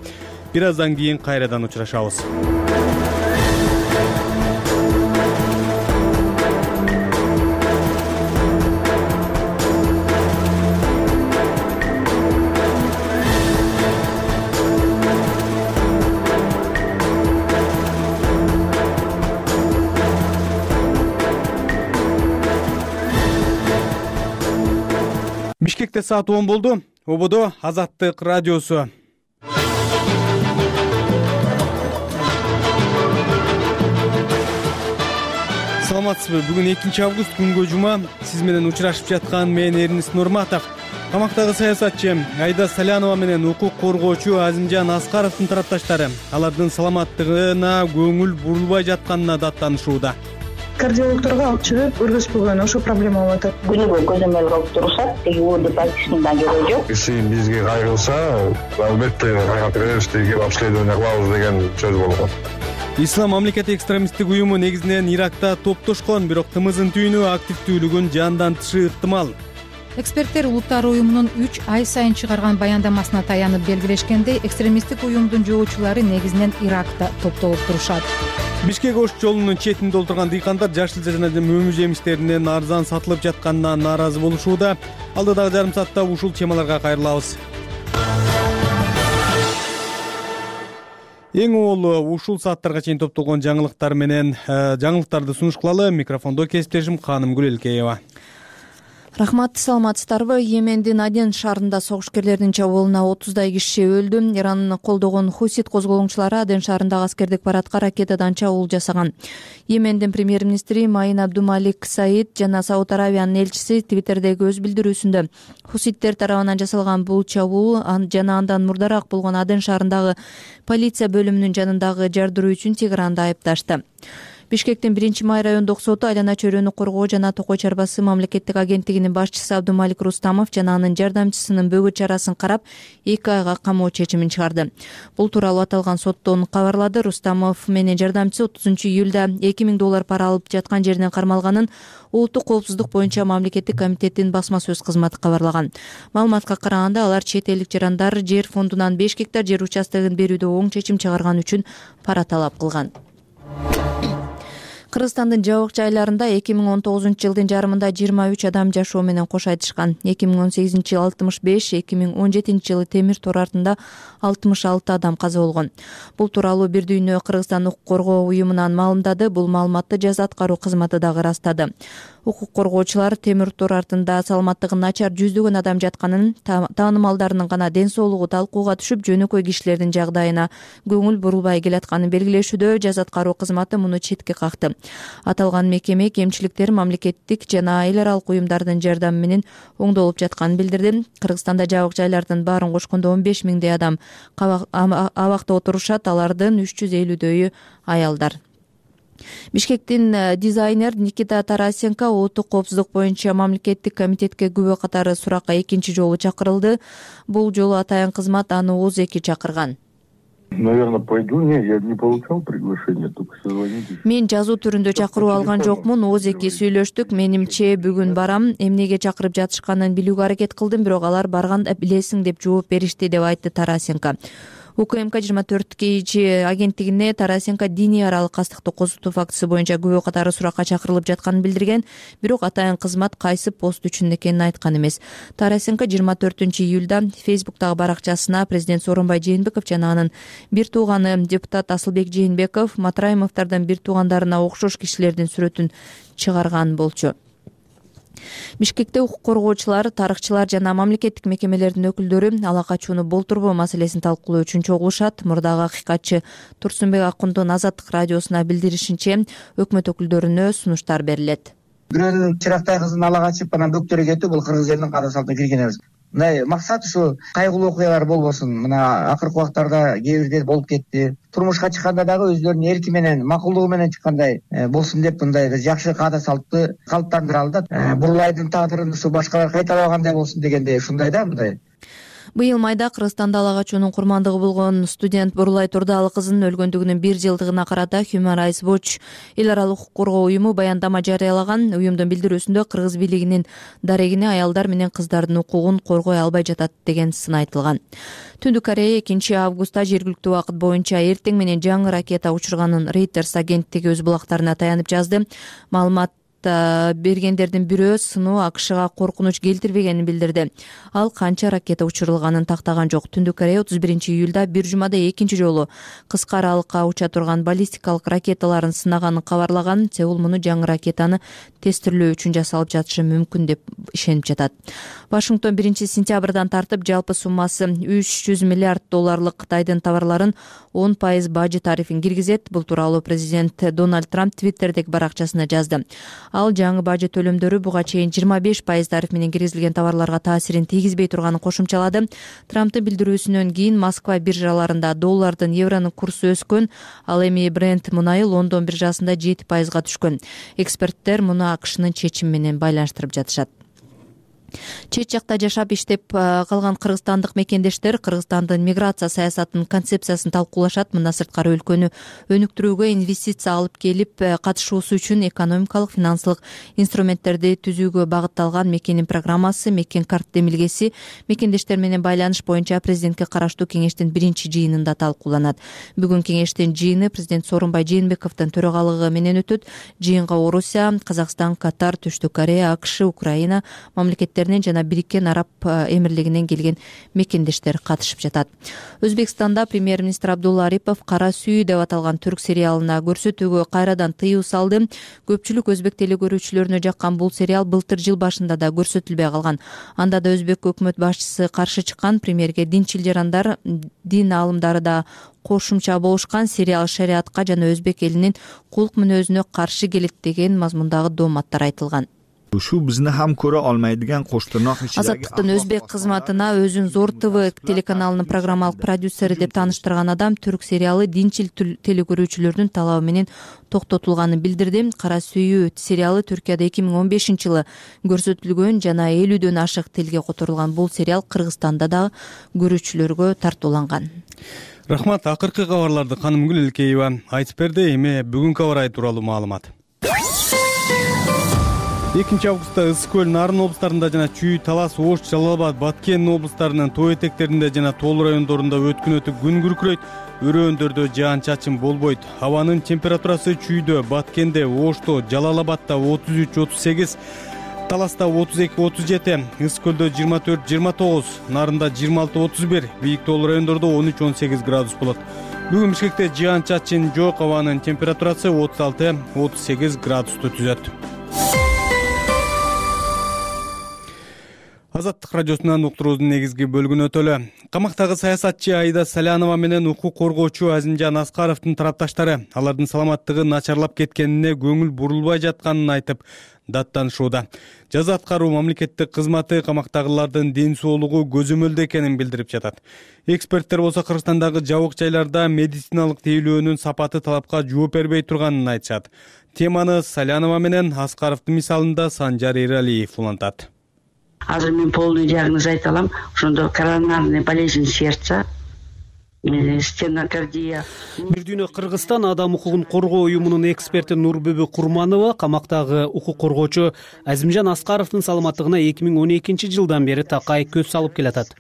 Бир аздан кийин кайрадан учурашабыз. Бишкекте саат 10 болду. Ободо Азаттык радиосу. Саламатсызбы? Бүгүн 2 август күнгө жума. Сиз менен учурашып жаткан мен Эрнест Нурматов. Камактагы саясатчы Айда Салянова менен укук коргоочу Азимжан Аскаровдун тарапташтары алардын саламаттыгына көңүл бурулбай жатканына даттанышууда. Кардиологторго алып чыгып көргөзбөгөн ошо проблема болуп атат. Күнүгө көзөмөл кылып турушат, теги ооду практикасында кереги жок. Киши бизге кайрылса, албетте кайрат беребиз, теги обследование кылабыз деген сөз болгон. Ислам мамлекети экстремисттик уюму негизинен Иракта топтошкон, бирок тымыздын түйүнү активдүүлүгүн жандантышы ыктымал. Эксперттер Улуттар уюмунун 3 ай сайын чыгарган баяндамасына таянып белгилешкендей, экстремисттик уюмдун жоочулары негизинен Иракта топтолуп турушат. Бишкек Ош жолунун четинде отурган дыйкандар жашыл жана мөмү жемиштеринин арзан сатылып жатканына нааразы болушууда. Алдыдагы жарым саатта ушул темаларга кайрылабыз. Эң оолу ушул сааттарга чейин топтолгон жаңылыктар менен жаңылыктарды сунуш кылалы. Микрофондо кесиптешим Ханым Гүлелкеева. Рахмат, саламатсыздарбы? Йемендин Аден шаарында согушкерлердин чабуулуна 30дай киши өлдү. Иранны колдогон Хусит козголоңчулары Аден шаарындагы аскердик парадка ракетадан чабуул жасаган. Йемендин премьер-министри Маин Абдумалик Саид жана Сауд Аравиянын элчиси Твиттердеги өз билдирүүсүндө хуситтер тарабынан жасалган бул чабуул жана андан мурдараак болгон Аден шаарындагы полиция бөлүмүнүн жанындагы жардыруу үчүн Тегеранды айыпташты. Бишкектин 1-май райондук соту айлана чөйрөнү коргоо жана токой чарбасы мамлекеттик агенттигинин башчысы Абдумалик Рустамов жана анын жардамчысынын бөгөт чарасын карап 2 айга камоо чечимин чыгарды. Бул тууралуу аталган соттон кабарлады. Рустамов менен жардамчысы 30-июлда $2000 пара алып жаткан жеринен кармалганын Улуттук коопсуздук боюнча мамлекеттик комитеттин басма сөз кызматы кабарлаган. Маалыматка караганда алар чет элдик жарандар жер фондунан 5 гектар жер участогун берүүдө оң чечим чыгарган үчүн пара талап кылган. Кыргызстандын жабык жайларында 2019-жылдын жарымында 23 адам жашоо менен кош айтышкан. 2018-жылы 65, 2017-жылы темир тор артында 66 адам каза болгон. Бул тууралуу Бир дүйнө Кыргызстан укук коргоо уюмунан маалымдады. Бул маалыматты жаза аткаруу кызматы дагы ырастады. Укук коргоочулар темир тор артында саламаттыгы начар жүздөгөн адам жатканын, таанымалдарынын гана ден соолугу талкууга түшүп, жөнөкөй кишилердин жагдайына көңүл бурулбай келатканын белгилешүүдө жаза аткаруу кызматы муну четке какты. Аталган мекеме кемчиликтер мамлекеттик жана айыл аралык уюмдардын жардамы менен оңдолуп жатканын билдирди. Кыргызстанда жабык жайлардын баарын кошкондо 15 миңдей адам абакта отурушат, алардын 350дөйү аялдар. Бишкектин дизайнер Никита Тарасенко улуттук коопсуздук боюнча мамлекеттик комитетке күбө катары суракка 2-чи жолу чакырылды. Бул жолу атайын кызмат аны ооз-2 чакырган. Наверное, пойду. Не, я не получал приглашение, только созвонитесь. Мен жазуу түрүндө чакыруу алган жокмун, ооз-2 сүйлөштүк. Менимче бүгүн барам. Эмнеге чакырып жатышканын билүүгө аракет кылдым, бирок алар барганда билесиң деп жооп беришти, деп айтты Тарасенко. УКМК 24 агенттигине Тарасенко диний аралык кастыкты козутуу фактысы боюнча күбө катары суракка чакырылып жатканын билдирген, бирок атайын кызмат кайсы пост үчүн экенин айткан эмес. Тарасенко 24-июлда Фейсбуктагы баракчасына президент Сооронбай Жээнбеков жана анын бир тууганы депутат Асылбек Жээнбеков Матраимовдордун бир туугандарына окшош кишилердин сүрөтүн чыгарган болчу. Бишкекте укук коргоочулар, тарыхчылар жана мамлекеттик мекемелердин өкүлдөрү ала качууну болтурбоо маселесин талкуулоо үчүн чогулушат. Мурдагы акыйкатчы Турсунбек Акундун Азаттык радиосуна билдиришинче, өкмөт өкүлдөрүнө сунуштар берилет. Бирөөнүн Чырактай кызын ала качып, анан бөктөрү кетүү бул кыргыз элинин каада салтына кирген эмес. Мына максат ушу кайгылуу окуялар болбосун. Мына акыркы убактарда кээ бирде болуп кетти. Турмушка чыкканда дагы өздөрүнүн эрки менен, макулдугу менен чыккандай болсун деп мындай жакшы каада салтты калыптандыралы да. Бурулайдын тагдырын ушу башкалар кайталабагандай болсун дегендей ушундай да мындай. Быйыл майда Кыргызстанда ала качуунун курмандыгы болгон студент Бурулай Турдалы кызынын өлгөндүгүнүн 1 жылдыгына карата Human Rights Watch эл аралык укук коргоо уюму баяндама жарыялаган. Уюмдун билдирүүсүндө кыргыз бийлигинин дарегине аялдар менен кыздардын укугун коргой албай жатат деген сын айтылган. Түндүк Корея 2 августта жергиликтүү убакыт боюнча эртең менен жаңы ракета учурганын Reuters агенттиги өз булактарына таянып жазды. Маалымат бергендердин бирөө сыноо АКШга коркунуч келтирбегенин билдирди. Ал канча ракета учурулганын тактаган жок. Түндүк Корея 31-июлда бир жумада экинчи жолу кыска аралыкка уча турган баллистикалык ракеталарын сынаганын кабарлаган. Сеул муну жаңы ракетаны тестирлөө үчүн жасалып жатышы мүмкүн деп ишенип жатат. Вашингтон 1-сентябрдан тартып жалпы суммасы $300 миллиард Кытайдын товарларын 10% бажы тарифин киргизет. Бул тууралуу президент Дональд Трамп Твиттердеги баракчасына жазды. Ал жаңы бажы төлөмдөрү буга чейин 25% тариф менен киргизилген товарларга таасирин тийгизбей турганын кошумчалады. Трамптын билдирүүсүнөн кийин Москва биржаларында доллардын евронун курсу өскөн, ал эми Brent мунайы Лондон биржасында 7%га түшкөн. Эксперттер муну АКШнын чечими менен байланыштырып жатышат. Чет жакта жашап иштеп калган кыргызстандык мекендештер Кыргызстандын миграция саясатынын концепциясын талкуулашат. Мындан сырткары өлкөнү өнүктүрүүгө инвестиция алып келип катышуусу үчүн экономикалык финансылык инструменттерди түзүүгө багытталган Мекенин программасы Мекен карт демилгеси мекендештер менен байланыш боюнча президентке караштуу кеңештин 1-жыйынында талкууланат. Бүгүн кеңештин жыйыны президент Сооронбай Жээнбековдун төрагалыгы менен өтөт. Жыйынга Орусия, Казакстан, Катар, Түштүк Корея, АКШ, Украина мамлекеттер жана Бириккен Араб Эмирлигинен келген мекендештер катышып жатат. Өзбекстанда премьер-министр Абдулла Арипов Кара сүйүү деп аталган түрк сериалына көрсөтүүгө кайрадан тыюу салды. Көпчүлүк өзбек телекөрүүчүлөрүнө жаккан бул сериал былтыр жыл башында да көрсөтүлбөй калган. Анда да өзбек өкмөт башчысы каршы чыккан. Премьерге динчил жарандар, дин аалымдары да кошумча болушкан. Сериал шариатка жана өзбек элинин кулк мүнөзүнө каршы келет деген мазмундагы дооматтар айтылган. Şu bizni ham ko'ra olmaydigan qo'shtirnoq ichidagi Азаттыктын өзбек кызматына өзүн Зор ТВ телеканалынын программалык продюсери деп тааныштырган адам түрк сериалы динчил телекөрүүчүлөрдүн талабы менен токтотулганын билдирди. Кара сүйүү сериалы Түркияда 2015-жылы көрсөтүлгөн жана 50дөн ашык тилге которулган бул сериал Кыргызстанда да көрүүчүлөргө тартууланган. Рахмат, акыркы кабарларды Канымгүл Элкеева айтып берди. Эми бүгүнкү аба ырайы тууралуу маалымат. 2 августта Ысык көл, Нарын облустарында жана Чүй, Талас, Ош, Жалал абад, Баткен облустарынын тоо этектеринде жана Тоол райондорунда өткүнөтү күн күркүрөйт. Өрөөндөрдө жаан-чачын болбойт. Абанын температурасы Чүйдө, Баткенде, Ошто, Жалал абадта 33-38, Таласта 32-37, Ысык көлдө 24-29, Нарында 26-31, бийик Тоол райондордо 13-18 градус болот. Бүгүн Бишкекте жаан-чачын жок, абанын температурасы 36-38 градусту түзөт. Азаттык радиосунан уктуруубуздун негизги бөлүгүнө өтөлү. Камактагы саясатчы Аида Салянова менен укук коргоочу Азимжан Аскаровдун тарапташтары алардын саламаттыгы начарлап кеткенине көңүл бурулбай жатканын айтып даттанышууда. Жаза аткаруу мамлекеттик кызматы камактагылардын ден соолугу көзөмөлдө экенин билдирип жатат. Эксперттер болсо Кыргызстандагы жабык жайларда медициналык тейлөөнүн сапаты талапка жооп бербей турганын айтышат. Теманы Салянова менен Аскаровдун мисалында Санжар Эралиев улантат. Азыр мен полный диагноз айта алам. Ошондо коронарный болезнь сердца, стенокардия. Бир дүйнө Кыргызстан адам укугун коргоо уюмунун эксперти Нурбүбү Курманова камактагы укук коргоочу Азимжан Аскаровдун саламаттыгына 2012-жылдан бери такай көз салып келатат.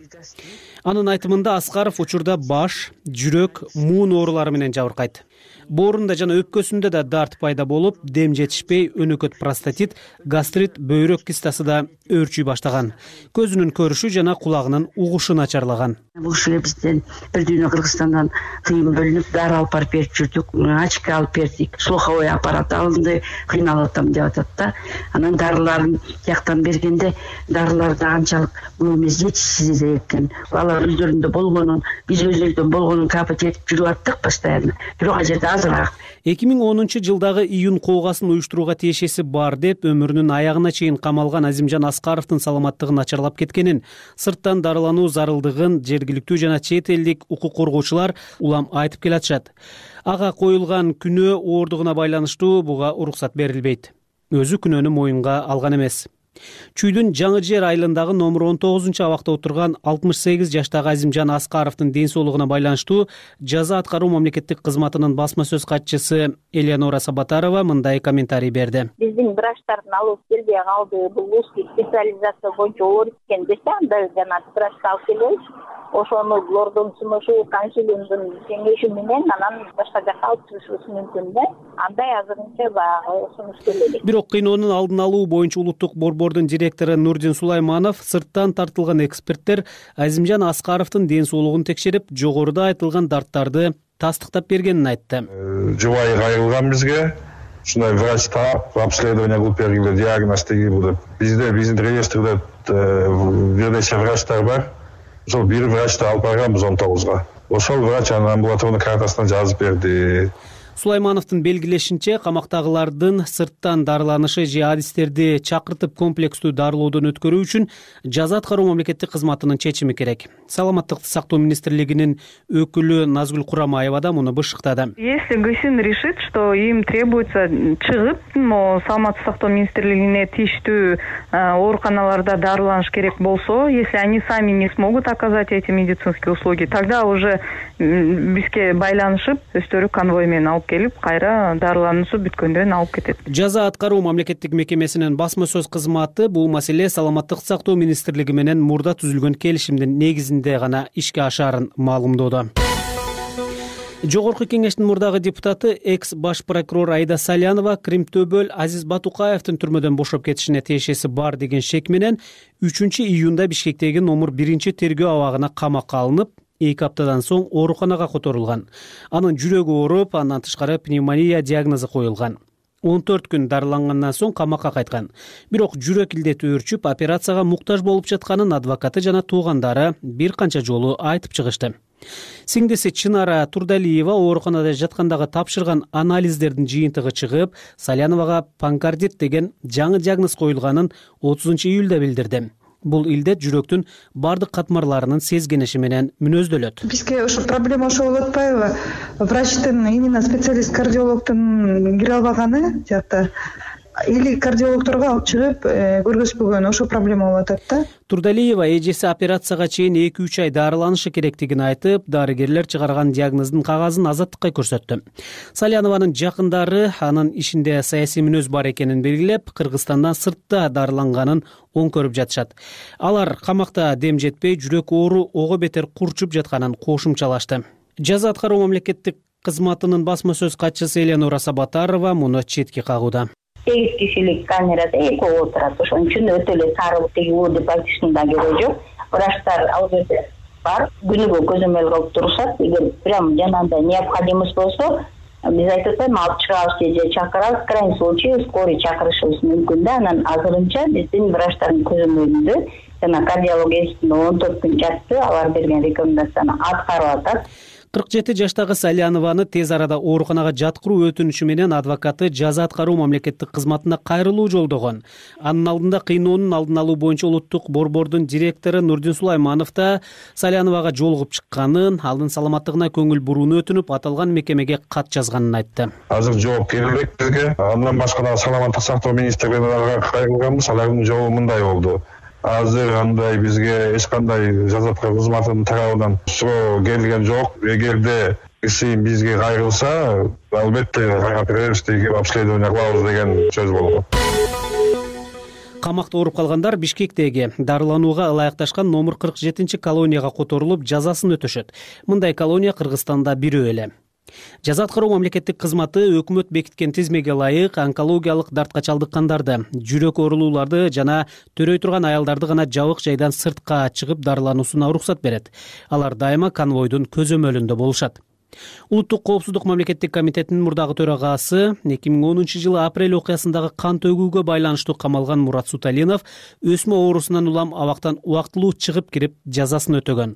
Анын айтымында Аскаров учурда баш, жүрөк, муун оорулары менен жабыркайт. Боорунда жана өпкөсүндө да дарт пайда болуп, дем жетишпей, өнөкөт простатит, гастрит, бөйрөк кистасы да өөрчүй баштаган. Көзүнүн көрүшү жана кулагынын угушу начарлаган. Бул ушул бизден бир дүйнө Кыргызстандан тыйын бөлүнүп, дары алып барып берип жүрдүк, очко алып бердик, слуховой аппарат алынды, кыйналып атам деп атат да. Анан дарыларын жактан бергенде дарыларды анчалык бул эмес жетишсиз экен. Алар өздөрүндө болгонун, биз өздөрүбүздөн болгонун капать этип жүрүп аттык постоянно. Бирок ал жерде азыраак. 2010-жылдагы июнь коогасын уюштурууга тиешеси бар деп өмүрүнүн аягына чейин камалган Азимжан Аскаровдун саламаттыгы начарлап кеткенин, сырттан дарылануу зарылдыгын жергиликтүү жана чет элдик укук коргоочулар улам айтып келатышат. Ага коюлган күнөө оордугуна байланыштуу буга уруксат берилбейт. Өзү күнөөнү моюнга алган эмес. Чүйдүн Жаңы Жер айылындагы номер 19 абакта отурган 68 жаштагы Азимжан Аскаровдун ден соолугуна байланыштуу жаза аткаруу мамлекеттик кызматынын басма сөз катчысы Элеонора Сабатарова мындай комментарий берди. Биздин врачтардын алып келбей калды. Бул узкий специализация боюнча оор экен десе, анда жана врачты алып келебиз. Ошону лордун сунушу, консилиумдун кеңеши менен анан башка жакка алып чыгышыбыз мүмкүн да. Андай азырынча баягы сунуш келеби. Бирок кыйноонун алдын алуу боюнча улуттук борбордун директору Нурдин Сулайманов сырттан тартылган эксперттер Азимжан Аскаровдун ден соолугун текшерип, жогоруда айтылган дарттарды тастыктап бергенин айтты. Жубайы кайрылган бизге. Ушундай врачта обследование кылып бергиле, диагноз тегиби деп. Биздин реестрде бир нече врачтар бар. Ошол бир врачты алып барганбыз 19-га. Ошол врач анын амбулаторный картасына жазып берди. Сулаймановдун белгилешинче, камактагылардын сырттан дарыланышы же адистерди чакыртып комплекстүү дарылоодон өткөрүү үчүн жаза аткаруу мамлекеттик кызматынын чечими керек. Саламаттыкты сактоо министрлигинин өкүлү Назгүл Курамаева да муну бышыктады. Если ГСИН решит, что им требуется чыгып, саламаттык сактоо министрлигине тийиштүү ооруканаларда дарыланыш керек болсо, если они сами не смогут оказать эти медицинские услуги, тогда уже бизге байланышып, өздөрү конвой менен алып келип, кайра дарылануусу бүткөндөн алып кетет. Жаза аткаруу мамлекеттик мекемесинин басма сөз кызматы бул маселе саламаттык сактоо министрлиги менен мурда түзүлгөн келишимдин негизинде гана ишке ашаарын маалымдоодо. Жогорку кеңештин мурдагы депутаты экс баш прокурор Айда Салянова Кримтөбөл Азиз Батукаевдин түрмөдөн бошоп кетишине тиешеси бар деген шек менен 3-июнда Бишкектеги номер 1-тергөө абагына камакка алынып, 2 аптадан соң ооруканага которулган. Анын жүрөгү ооруп, андан тышкары пневмония диагнозу коюлган. 14 күн дарылангандан соң камакка кайткан. Бирок жүрөк илдети өөрчүп, операцияга муктаж болуп жатканын адвокаты жана туугандары бир канча жолу айтып чыгышты. Сиңдиси Чынара Турдалиева ооруканада жаткандагы тапшырган анализдердин жыйынтыгы чыгып, Саляновага панкардит деген жаңы диагноз коюлганын 30-июлда билдирди. Бул илдет жүрөктүн бардык катмарларынын сезгениши менен мүнөздөлөт. Бизге ошо проблема ошол болуп атпайбы? Врачтын, именно специалист кардиологдун кире албаганы жакта или кардиологторго алып чыгып көргөзбөгөн, ошо проблема болуп атат да. Турдалиева эжеси операцияга чейин 2-3 ай дарыланышы керектигин айтып, дарыгерлер чыгарган диагноздун кагазын Азаттыкка көрсөттү. Салянованын жакындары анын ишинде саясий мүнөз бар экенин белгилеп, Кыргызстандан сыртта дарыланганын оң көрүп жатышат. Алар камакта дем жетпей, жүрөк оору ого бетер курчуп жатканын кошумчалашты. Жаза аткаруу мамлекеттик кызматынын басма сөз катчысы Элеонора Сабатарова муну четке кагууда. 8 кишилик камерада экөө отурат. Ошон үчүн өтө эле сарылып теги уу деп айтыштын да кереги жок. Врачтар ал жерде бар, күнүгө көзөмөл кылып турушат. Эгер прям жанагындай необходимость болсо, биз айтып атпайбы, алып чыгабыз же чакырабыз, крайний случай скорый чакырышыбыз мүмкүн да. Анан азырынча биздин врачтардын көзөмөлүндө жана кардиологиялык 14 күн жатты, алар берген рекомендацияны аткарып атат. 47 жаштагы Салянованы тез арада ооруканага жаткыруу өтүнүшү менен адвокаты жаза аткаруу мамлекеттик кызматына кайрылуу жолдогон. Анын алдында кыйноонун алдын алуу боюнча улуттук борбордун директору Нурдин Сулайманов да Саляновага жолугуп чыкканын, алдын саламаттыгына көңүл бурууну өтүнүп, аталган мекемеге кат жазганын айтты. Азыр жооп келбек бизге. Андан башка да саламаттык сактоо министрлигине кайрылганбыз, алардын жообу мындай болду. Азыр андай бизге эч кандай жаза аткаруу кызматынын тарабынан суроо келген жок. Эгерде киши бизге кайрылса, албетте кайрап беребиз деген обследование кылабыз деген сөз болгон. Камакта ооруп калгандар Бишкектеги дарыланууга ылайыкташкан номер 47 колонияга которулуп, жазасын өтөшөт. Мындай колония Кыргызстанда бирөө эле. Жаза аткаруу мамлекеттик кызматы өкмөт бекиткен тизмеге ылайык онкологиялык дартка чалдыккандарды, жүрөк оорулууларды жана төрөй турган аялдарды гана жабык жайдан сыртка чыгып дарылануусуна уруксат берет. Алар дайыма конвойдун көзөмөлүндө болушат. Улуттук коопсуздук мамлекеттик комитетинин мурдагы төрагасы 2010-жылы апрель окуясындагы кан төгүүгө байланыштуу камалган Мурат Суталинов өсмө оорусунан улам абактан убактылуу чыгып кирип жазасын өтөгөн.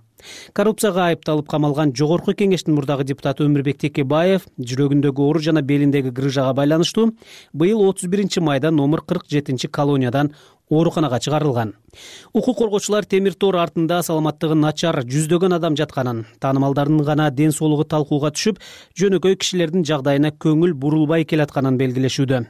Коррупцияга айыпталып камалган жогорку кеңештин мурдагы депутаты Өмүрбек Текебаев жүрөгүндөгү оору жана белиндеги грыжага байланыштуу быйыл 31 майда номер 47 колониядан ооруканага чыгарылган. Укук коргоочулар темир тор артында саламаттыгы начар жүздөгөн адам жатканын, таанымалдардын гана ден соолугу талкууга түшүп, жөнөкөй кишилердин жагдайына көңүл бурулбай келатканын белгилешүүдө.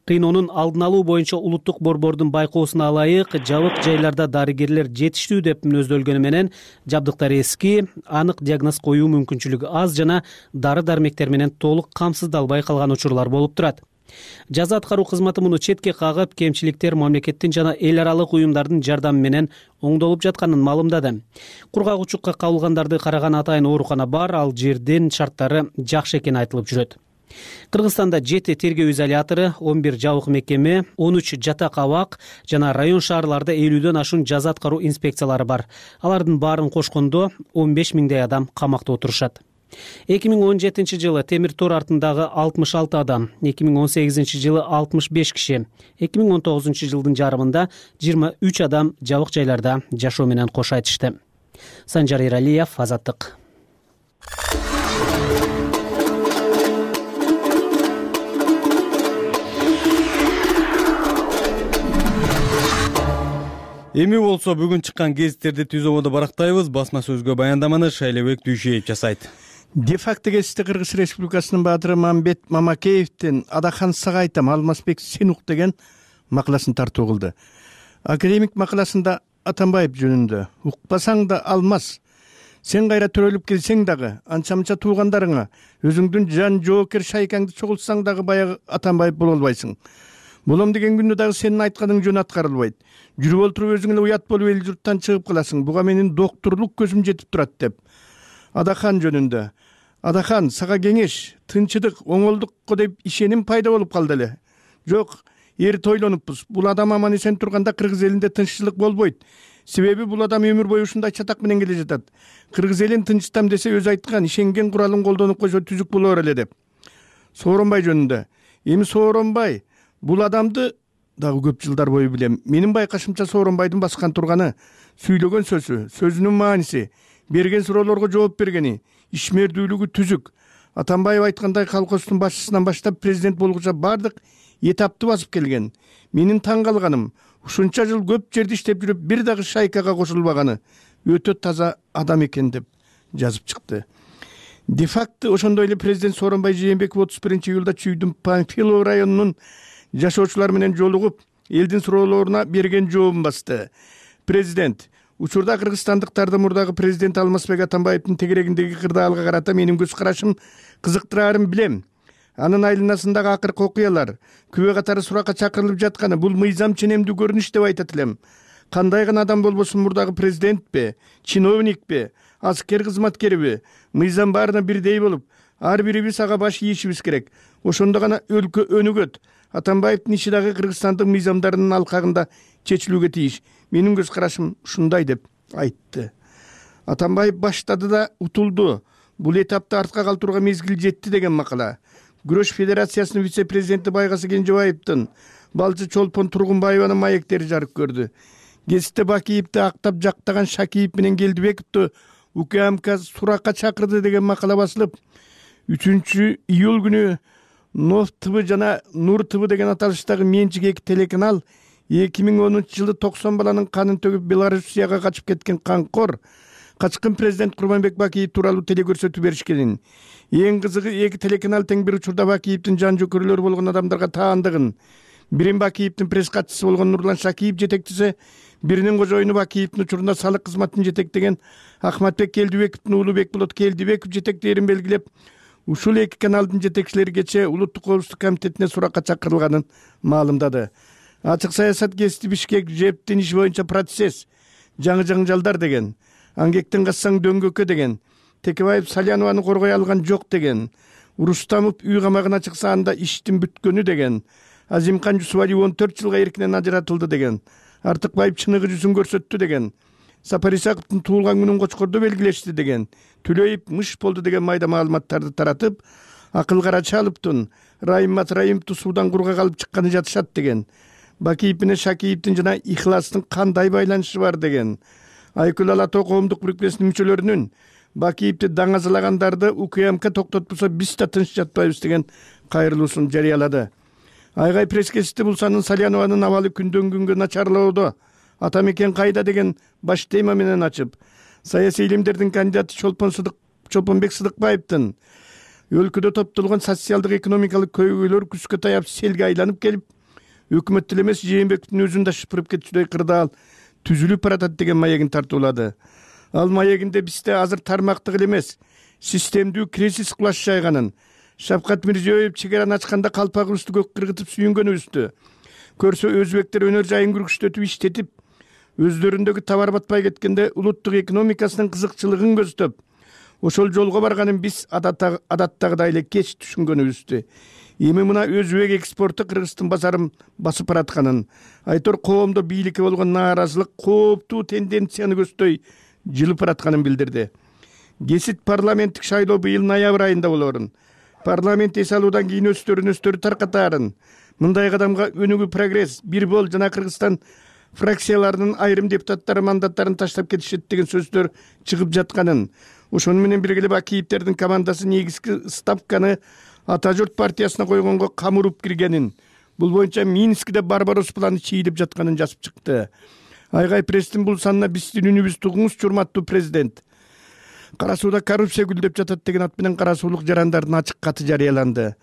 Кыйноонун алдын алуу боюнча улуттук борбордун байкоосуна ылайык жабык жайларда дарыгерлер жетиштүү деп мүнөздөлгөнү менен жабдыктар эски, анык диагноз коюу мүмкүнчүлүгү аз жана дары дармектер менен толук камсыздалбай калган учурлар болуп турат. Жаза аткаруу кызматы муну четке кагып, кемчиликтер мамлекеттин жана эл аралык уюмдардын жардамы менен оңдолуп жатканын маалымдады. Кургак-учукка кабылгандарды караган атайын оорукана бар, ал жердин шарттары жакшы экени айтылып жүрөт. Кыргызстанда 7 тергөө изолятору, 11 жабык мекеме, 13 жатак абак жана район шаарларда 50дөн ашуун жаза аткаруу инспекциялары бар. Алардын баарын кошкондо 15 миңдей адам камакта отурушат. 2017 жылы темир тор артындагы 66 адам, 2018 жылы 65 киши, 2019 жылдын жарымында 23 адам жабык жайларда жашоо менен кош айтышты. Санжар Иралиев, Азаттык. Эми болсо бүгүн чыккан гезиттерди түз ободо барактайбыз. Басма сөзгө баяндаманы Шайлебек Дүйшеев жасайт. Де-факто гезити Кыргыз Республикасынын баатыры Мамбет Мамакеевдин Адахан Сагайтам Алмазбек Сенук деген макаласын тартуу кылды. Академик макаласында Атамбаев жөнүндө укпасаң да Алмаз, сен кайра төрөлүп келсең дагы, анча-мынча туугандарыңа өзүңдүн жан жоокер шайкаңды чогултсаң дагы баягы Атамбаев боло албайсың. Болом деген күндө дагы сенин айтканың жөн аткарылбайт. Жүрүп олтуруп өзүң эле уят болуп эл журттан чыгып каласың. Буга менин доктурлук көзүм жетип турат деп. Адахан жөнүндө. Адахан, сага кеңеш, тынчыдык, оңолдукко деп ишеним пайда болуп калды эле. Жок, эрт ойлонуппуз. Бул адам аман эсен турганда кыргыз элинде тынччылык болбойт. Себеби бул адам өмүр бою ушундай чатак менен келе жатат. Кыргыз элин тынчтам десе өзү айткан, ишенген куралын колдонуп койсо түзүк болор эле деп. Сооронбай жөнүндө. Эми Сооронбай бул адамды дагы көп жылдар бою билем. Менин байкашымча Сооронбайдын баскан турганы сүйлөгөн сөзү, сөзүнүн мааниси, берген суроолорго жооп бергени, ишмердүүлүгү түзүк. Атамбаев айткандай колхоздун башчысынан баштап президент болгуча бардык этапты басып келген. Менин таң калганым, ушунча жыл көп жерди иштеп жүрүп бир дагы шайкага кошулбаганы өтө таза адам экен деп жазып чыкты. Де-факто ошондой эле президент Сооронбай Жээнбеков 31-июлда Чүйдүн Панфилов районунун жашоочулар менен жолугуп, элдин суроолоруна берген жообун басты. Президент, учурда кыргызстандыктарды мурдагы президент Алмазбек Атамбаевдин тегерегиндеги кырдаалга карата менин көз карашым кызыктырарын билем. Анын айланасындагы акыркы окуялар, күбө катары суракка чакырылып жатканы бул мыйзам ченемдүү көрүнүш деп айтат элем. Кандай гана адам болбосун, мурдагы президентпи, чиновникпи, аскер кызматкериби, мыйзам баарына бирдей болуп, ар бирибиз ага баш ийишибиз керек. Ошондо гана өлкө өнүгөт. Атамбаевдин иши дагы кыргызстандык мыйзамдарынын алкагында чечилүүгө тийиш. Менин көз карашым ушундай деп айтты. Атамбаев баштады да утулду. Бул этапты артка калтырууга мезгил жетти деген макала. Күрөш федерациясынын вице-президенти Байгасы Кенжебаевдин балчы Чолпон Тургунбаеванын маектери жарык көрдү. Гезитте Бакиевди актап жактаган Шакиев менен Келдибековду УКМК суракка чакырды деген макала басылып, 3-июль күнү Нов ТВ жана Нур ТВ деген аталыштагы менчик эки телеканал 2010 жылы 90 баланын канын төгүп Белоруссияга качып кеткен канкор качкын президент Курманбек Бакиев тууралуу телекөрсөтүү беришкенин. Эң кызыгы, эки телеканал тең бир учурда Бакиевдин жан жөкөрлөрү болгон адамдарга таандыгын. Бирин Бакиевдин пресс катчысы болгон Нурлан Шакиев жетектесе, биринин кожоюну Бакиевдин учурунда салык кызматын жетектеген Ахматбек Келдибековдун уулу Бекболот Келдибеков жетектээрин белгилеп, ушул эки каналдын жетекчилери кечээ Улуттук коопсуздук комитетине суракка чакырылганын маалымдады. Ачык саясат гезити Бишкек жептин иш боюнча процесс, жаңы жаңжалдар деген, аңгектен кассаң дөңгөккө деген, Текебаев Салянованы коргой алган жок деген, Рустамов үй камагына чыкса анда иштин бүткөнү деген, Азимкан Жусубалиев 14 жылга эркинен ажыратылды деген, Артыкбаев чыныгы жүзүн көрсөттү деген, Сапар Исаковдун туулган күнүн Кочкордо белгилешти деген, Түлөев мыш болду деген майда маалыматтарды таратып, Акыл Карачаловдун Райыммат Райымовду суудан кургак алып чыкканы жатышат деген, Бакиев менен Шакиевдин жана Ихластын кандай байланышы бар деген, Айкүл Алато коомдук бирикмесинин мүчөлөрүнүн Бакиевди даңазалагандарды УКМК токтотпосо биз да тынч жатпайбыз деген кайрылуусун жарыялады. Айгай пресс-кетиште Булсанын Салянованын абалы күндөн күнгө начарлоодо. Ата мекен кайда деген баш тема менен ачып, саясий илимдердин кандидаты Чолпонбек Сыдыкбаевдин өлкөдө топтолгон социалдык экономикалык көйгөйлөр күзгө таяп селге айланып келип, өкмөт эле эмес Жээнбековдун өзүн да шыпырып кетүүдөй кырдаал түзүлүп баратат деген маегин тартуулады. Ал маегинде бизде азыр тармактык эле эмес, системдүү кризис кулаш жайганын, Шавкат Мирзиёев чегараны ачканда калпагыбызды көк кыргытып сүйүнгөнүбүздү көрсө, өзбектер өнөр жайын күркүчтөтүп иштетип, өздөрүндөгү табар батпай кеткенде улуттук экономикасынын кызыкчылыгын көздөп, ошол жолго барганын биз адаттагыдай эле кеч түшүнгөнүбүздү. Эми мына өзбек экспорту Кыргыздын базарын басып баратканын, айтор коомдо бийликке болгон нааразылык кооптуу тенденцияны көздөй жылып баратканын билдирди. Кесит парламенттик шайлоо быйыл ноябрь айында болорун. Парламент эс алуудан кийин өстөрү таркатаарын. Мындай кадамга өнүгүү прогресс, бир бол жана Кыргызстан фракцияларынын айрым депутаттары мандаттарын таштап кетишет деген сөздөр чыгып жатканын, ошону менен бирге эле Бакиевдердин командасы негизги ставканы Ата журт партиясына койгонго камырып киргенин, бул боюнча Минскиде Барбарос планы чийилип жатканын жазып чыкты. Айгай пресстин бул санына биздин үнүбүз тугуңуз, урматтуу президент. Кара сууда коррупция гүлдөп жатат деген ат менен кара суулук жарандардын ачык каты жарыяланды.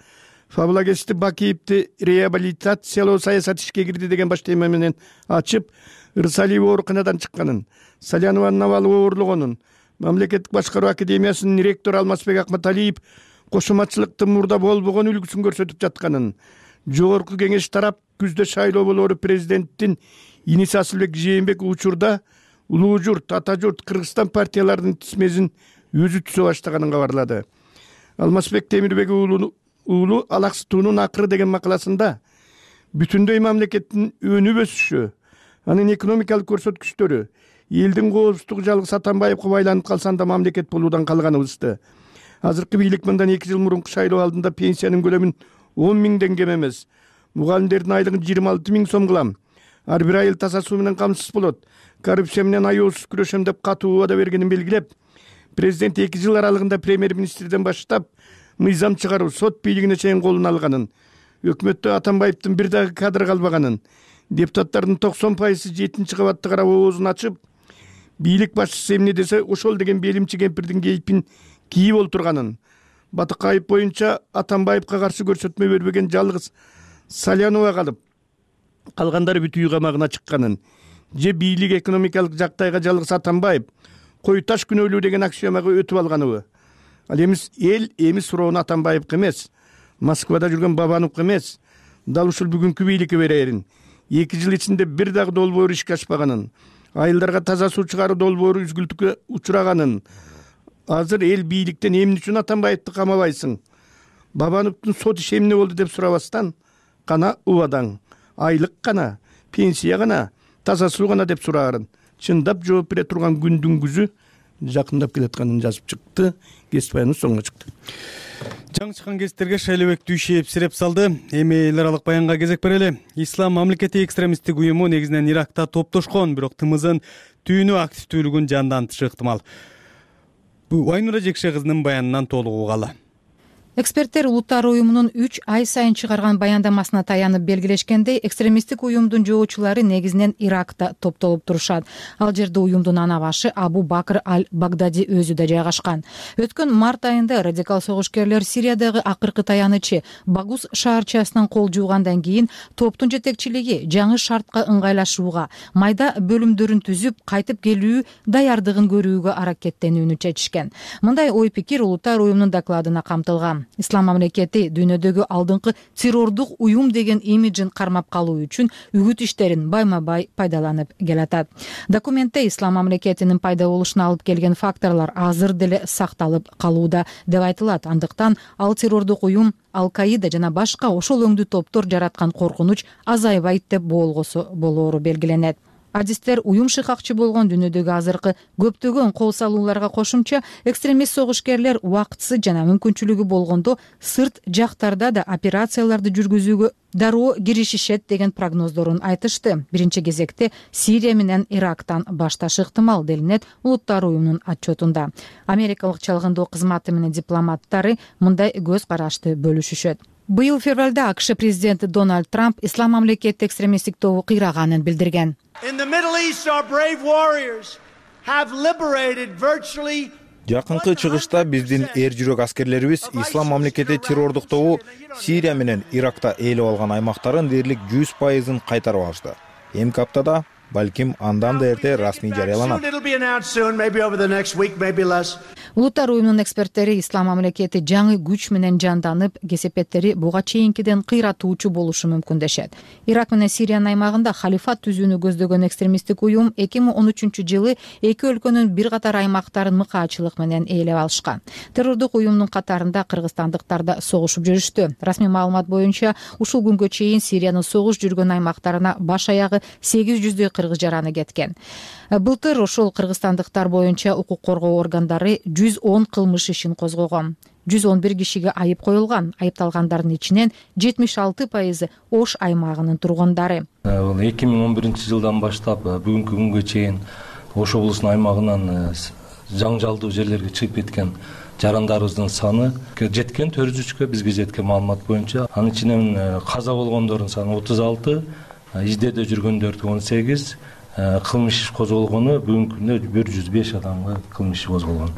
Фабулагести Бакиевди реабилитациялоо саясаты ишке кирди деген баш тема менен ачып, Ырсалиева ооруканадан чыкканын, Салянованын абалы оорлогонун, Мамлекеттик башкаруу академиясынын ректору Алмазбек Акматалиев кошоматчылыктын мурда болбогон үлгүсүн көрсөтүп жатканын, жогорку кеңеш тарап күздө шайлоо болоору президенттин иниси Асылбек Жээнбеков учурда Улуу журт, Ата журт, Кыргызстан партияларынын тизмесин өзү түзө баштаганын кабарлады. Алмазбек Темирбек уулу Алаксытуунун акыры деген макаласында бүтүндөй мамлекеттин өнүп өсүшү, анын экономикалык көрсөткүчтөрү, элдин коопсуздугу жалгыз Атамбаевге байланып калса анда мамлекет болуудан калганыбызды. Азыркы бийлик мындан 2 жыл мурунку шайлоо алдында пенсиянын көлөмүн 10 миңден кем эмес, мугалимдердин айлыгын 26 миң сом кылам, ар бир айыл таза суу менен камсыз болот, коррупция менен аяосуз күрөшөм деп катуу убада бергенин белгилеп, президент 2 жыл аралыгында премьер-министрден баштап мыйзам чыгаруу, сот бийлигине чейин колуна алганын, өкмөттө Атамбаевдин бир дагы кадр калбаганын, депутаттардын 90% 7-чи кабатты карап оозун ачып, бийлик башчысы эмне десе ошол деген белимчи кемпирдин кейпин кийип олтурганын, Батыкаев боюнча Атамбаевга каршы көрсөтмө бербеген жалгыз Салянова калып, калгандары бүт үй камагына чыкканын, же бийлик экономикалык жактайга жалгыз Атамбаев кой таш күнөөлүү деген аксиомага өтүп алганыбы? Ал эми суроону Атамбаевге эмес, Москвада жүргөн Бабановго эмес, дал ушул бүгүнкү бийликке берерин. 2 жыл ичинде бир дагы долбоор ишке ашпаганын, айылдарга таза суу чыгаруу долбоору үзгүлтүккө учураганын. Азыр эл бийликтен эмне үчүн Атамбаевди камабайсың? Бабановдун сот иши эмне болду деп сурабастан, кана убадаң, айлык гана, пенсия гана, таза суу гана деп сураарын. Чындап жооп бере турган күндүн күзү жакындап келатканын жазып чыкты. Кесип баяныбыз соңуна чыкты. Жаңы чыккан кесиптерге Шайлообек Дүйшеев сиреп салды. Эми эл аралык баянга кезек берели. Ислам мамлекети экстремисттик уюму негизинен Иракта топтошкон, бирок тымызын түйүнү активдүүлүгүн жандантышы ыктымал. Бул Айнура Жекше кызынын баянынан толугу угалы. Эксперттер улуттар уюмунун 3 ай сайын чыгарган баяндамасына таянып белгилешкендей, экстремисттик уюмдун жоочулары негизинен Иракта топтолуп турушат. Ал жерде уюмдун ана башы Абу Бакр аль-Багдади өзү да жайгашкан. Өткөн март айында радикал согушкерлер Сириядагы акыркы таянычы Багус шаарчасынан кол жуугандан кийин топтун жетекчилиги жаңы шартка ыңгайлашууга, майда бөлүмдөрүн түзүп, кайтып келүү даярдыгын көрүүгө аракеттенүүнү чечишкен. Мындай ой пикир улуттар уюмунун докладына камтылган. Ислам мамлекети дүйнөдөгү алдыңкы террордук уюм деген имиджин кармап калуу үчүн үгүт иштерин байма-бай пайдаланып келатат. Документте Ислам мамлекетинин пайда болушуна алып келген факторлор азыр деле сакталып калууда деп айтылат. Андыктан ал террордук уюм, Ал-Каида жана башка ошол өңдүү топтор жараткан коркунуч азайбайт деп болоору белгиленет. Адистер уюм шыкакчы болгон дүйнөдөгү азыркы көптөгөн кол салууларга кошумча экстремист согушкерлер убактысы жана мүмкүнчүлүгү болгондо сырт жактарда да операцияларды жүргүзүүгө дароо киришишет деген прогноздорун айтышты. Биринчи кезекте Сирия менен Ирактан башташы ыктымал делинет улуттар уюмунун отчетунда. Америкалык чалгындоо кызматы менен дипломаттары мындай көз карашты бөлүшүшөт. Быйыл февралда АКШ президенти Дональд Трамп ислам мамлекети экстремисттик тобу кыйраганын билдирген. Жакынкы чыгышта биздин эр жүрөк аскерлерибиз ислам мамлекети террордук тобу Сирия менен Иракта ээлеп алган аймактарын дээрлик 100% кайтарып алышты. Эмки аптада, балким андан да эрте расмий жарыяланат. Улуттар уюмунун эксперттери ислам мамлекети жаңы күч менен жанданып, кесепеттери буга чейинкиден кыйратуучу болушу мүмкүн дешет. Ирак менен Сириянын аймагында халифат түзүүнү көздөгөн экстремисттик уюм 2013-жылы эки өлкөнүн бир катар аймактарын мыкаачылык менен ээлеп алышкан. Террордук уюмдун катарында кыргызстандыктар да согушуп жүрүштү. Расмий маалымат боюнча, ушул күнгө чейин Сириянын согуш жүргөн аймактарына баш аягы 800 кыргыз жараны кеткен. Былтыр ошол кыргызстандыктар боюнча укук коргоо органдары 110 кылмыш ишин козгогон. 111 кишиге айып коюлган. Айыпталгандардын ичинен 76% Ош аймагынын тургундары. 2011-жылдан баштап бүгүнкү күнгө чейин Ош облусунун аймагынан жаңжалдуу жерлерге чыгып кеткен жарандарыбыздын саны жеткен 403кө, бизге жеткен маалымат боюнча. Анын ичинен каза болгондордун саны 36, издөөдө жүргөндөрдү 18, кылмыш иш козголгону бүгүнкү күндө 105 адамга кылмыш иш козголгон,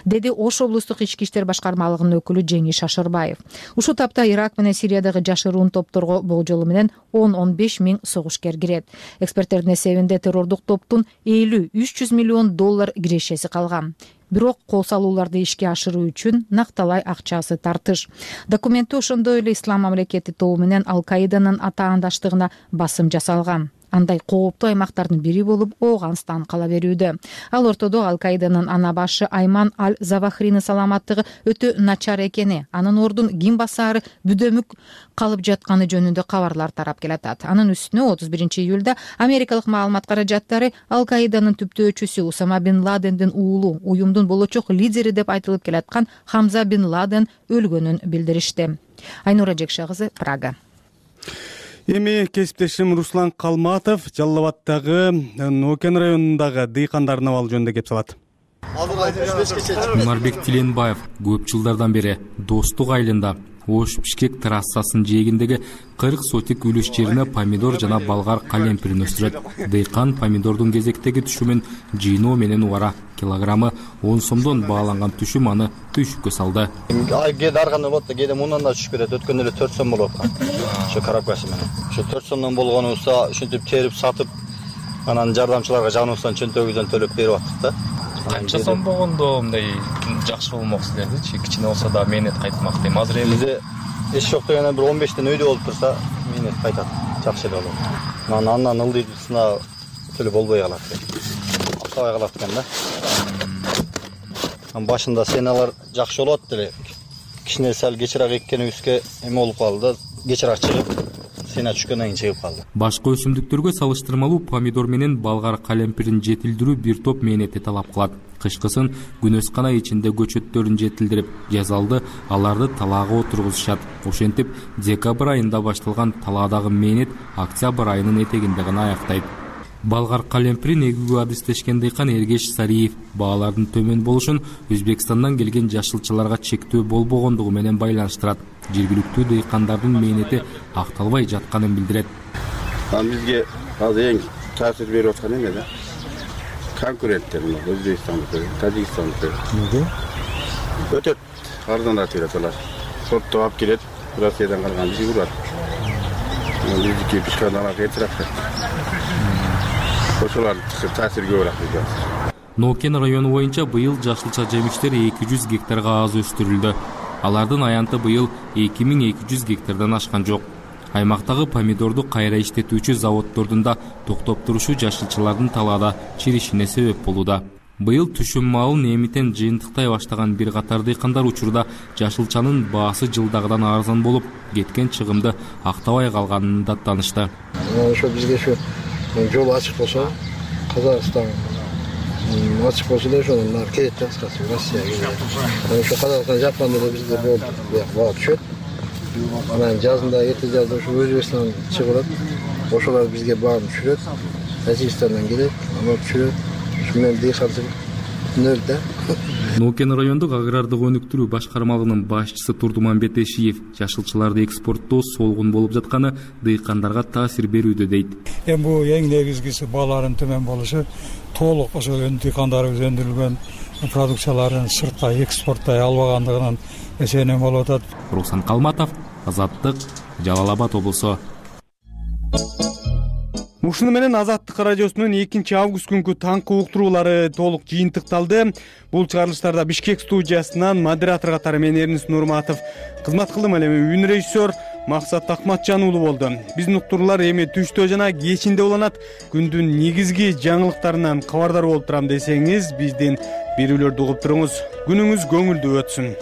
деди Ош облустук ички иштер башкармалыгынын өкүлү Жеңиш Шашырбаев. Ушул тапта Ирак менен Сириядагы жашыруун топторго болжолу менен 10-15 миң согушкер кирет. Эксперттердин эсебинде террордук топтун 50-300 миллион доллар кирешеси калган. Бирок кол салууларды ишке ашыруу үчүн накталай акчасы тартыш. Документте ошондой эле ислам мамлекети тобу менен Ал-Каиданын атаандаштыгына басым жасалган. Андай кооптуу аймактардын бири болуп Ооганстан кала берүүдө. Ал ортодо Ал-Каиданын ана башы Айман Аль-Завахринин саламаттыгы өтө начар экени, анын ордун ким басаары бүдөмүк калып жатканы жөнүндө кабарлар тарап келатат. Анын үстүнө 31-июлда америкалык маалымат каражаттары Ал-Каиданын түптөөчүсү Усама бин Ладендин уулу, уюмдун болочок лидери деп айтылып келаткан Хамза бин Ладен өлгөнүн билдиришти. Айнура Жекша кызы, Прага. Эми кесиптешим Руслан Калматов Жалал Нокен районундагы дыйкандардын абалы жөнүндө кеп салат. Умарбек Тиленбаев көп жылдардан бери Достук айылында Ош-Бишкек трассасынын жээгиндеги 40 сотик үлүш жерине помидор жана болгар калемпирин өстүрөт. Дыйкан помидордун кезектеги түшүмүн жыйноо менен убара килограммы 10 сомдон бааланган түшүм аны түйшүккө салды. Кээде ар кандай болот да, кээде мындан да түшүп кетет. Өткөндө эле 4 сом болуп аткан. Ошо коробкасы менен. Ошо 4 сомдон болгонубузда ушинтип терип сатып, анан жардамчыларга жаныбыздан чөнтөгүбүздөн төлөп берип аттык да. Канча сом болгондо мындай жакшы болмок силердичи? Кичине болсо да мээнет кайтмак дейм. Азыр бизде эч жок дегенде бир 15тен өйдө болуп турса, мээнет кайтат. Жакшы эле болот. Андан ылдыйсына төлөп болбой калат. Аксабай калат экен да. Башында сеналар жакшы болот деле. Кичине сал кечирак эккенибизге эме болуп калды да, кечирак чыгып, сена түшкөндөн кийин чыгып калды. Башка өсүмдүктөргө салыштырмалуу помидор менен болгар калемпирин жетилдирүү бир топ мээнетти талап кылат. Кышкысын күнөскана ичинде көчөттөрүн жетилдирип, жазалды аларды талаага отургузушат. Ошентип, декабрь айында башталган талаадагы мээнет октябрь айынын этегинде гана аяктайт. Болгар калемпирин эгүүгө адистешкен дыйкан Эргеш Сариев баалардын төмөн болушун Өзбекстандан келген жашылчаларга чектөө болбогондугу менен байланыштырат. Жергиликтүү дыйкандардын мээнети акталбай жатканын билдирет. Бизге азыр эң таасир берип аткан эме да. Конкуренттер Өзбекстандыкы, Тажикстандыкы. Өтөт арзаныраак берет алар. Соттоп алып келет, Россиядан калган бизге урат. Биздики бишканалар кетират. Ошолардын таасири көбүрөөк бизге. Нокен району боюнча быйыл жашылча жемиштер 200 гектарга аз өстүрүлдү. Алардын аянты быйыл 2200 гектардан ашкан жок. Аймактагы помидорду кайра иштетүүчү заводдордун да токтоп турушу жашылчалардын талаада чиришине себеп болууда. Быйыл түшүм маалын эмитен жыйынтыктай баштаган бир катар дыйкандар учурда жашылчанын баасы жылдагыдан арзан болуп, кеткен чыгымды актабай калганын даттанышты. Ошо бизге ошо жол ачык болсо, Казакстан ачык болсо да ошону келет да, Россияга. Ошо Казакстан жапканда эле бизде болду, баа түшөт. Анан жазында эрте жазда ошо Өзбекстандан чыгып, ошолор бизге бааны түшүрөт. Тажикстандан келет, аны түшүрөт. Ошо менен дыйканчылык нөл да. Ноокен райондук агрардык өнүктүрүү башкармалыгынын башчысы Турдуманбет Эшиев жашылчаларды экспорттоо солгун болуп жатканы дыйкандарга таасир берүүдө дейт. Эми бул эң негизгиси баалардын төмөн болушу, толук ошо дыйкандарыбыз өндүрүлгөн продукцияларын сыртка экспорттой албагандыгынын эсебинен болуп атат. Руслан Калматов, Азаттык, Жалал Абад облусу. Ушуну менен Азаттык радиосунун 2-август күнкү таңкы уктуруулары толук жыйынтыкталды. Бул чыгарылыштарда Бишкек студиясынан модератор катары мен Эрнис Нурматов кызмат кылдым. Ал эми үн режиссер Максат Акматжан уулу болду. Биздин уктуруулар эми түштө жана кечинде уланат. Күндүн негизги жаңылыктарынан кабардар болуп турам десеңиз, биздин берүүлөрдү угуп туруңуз. Күнүңүз көңүлдүү өтсүн.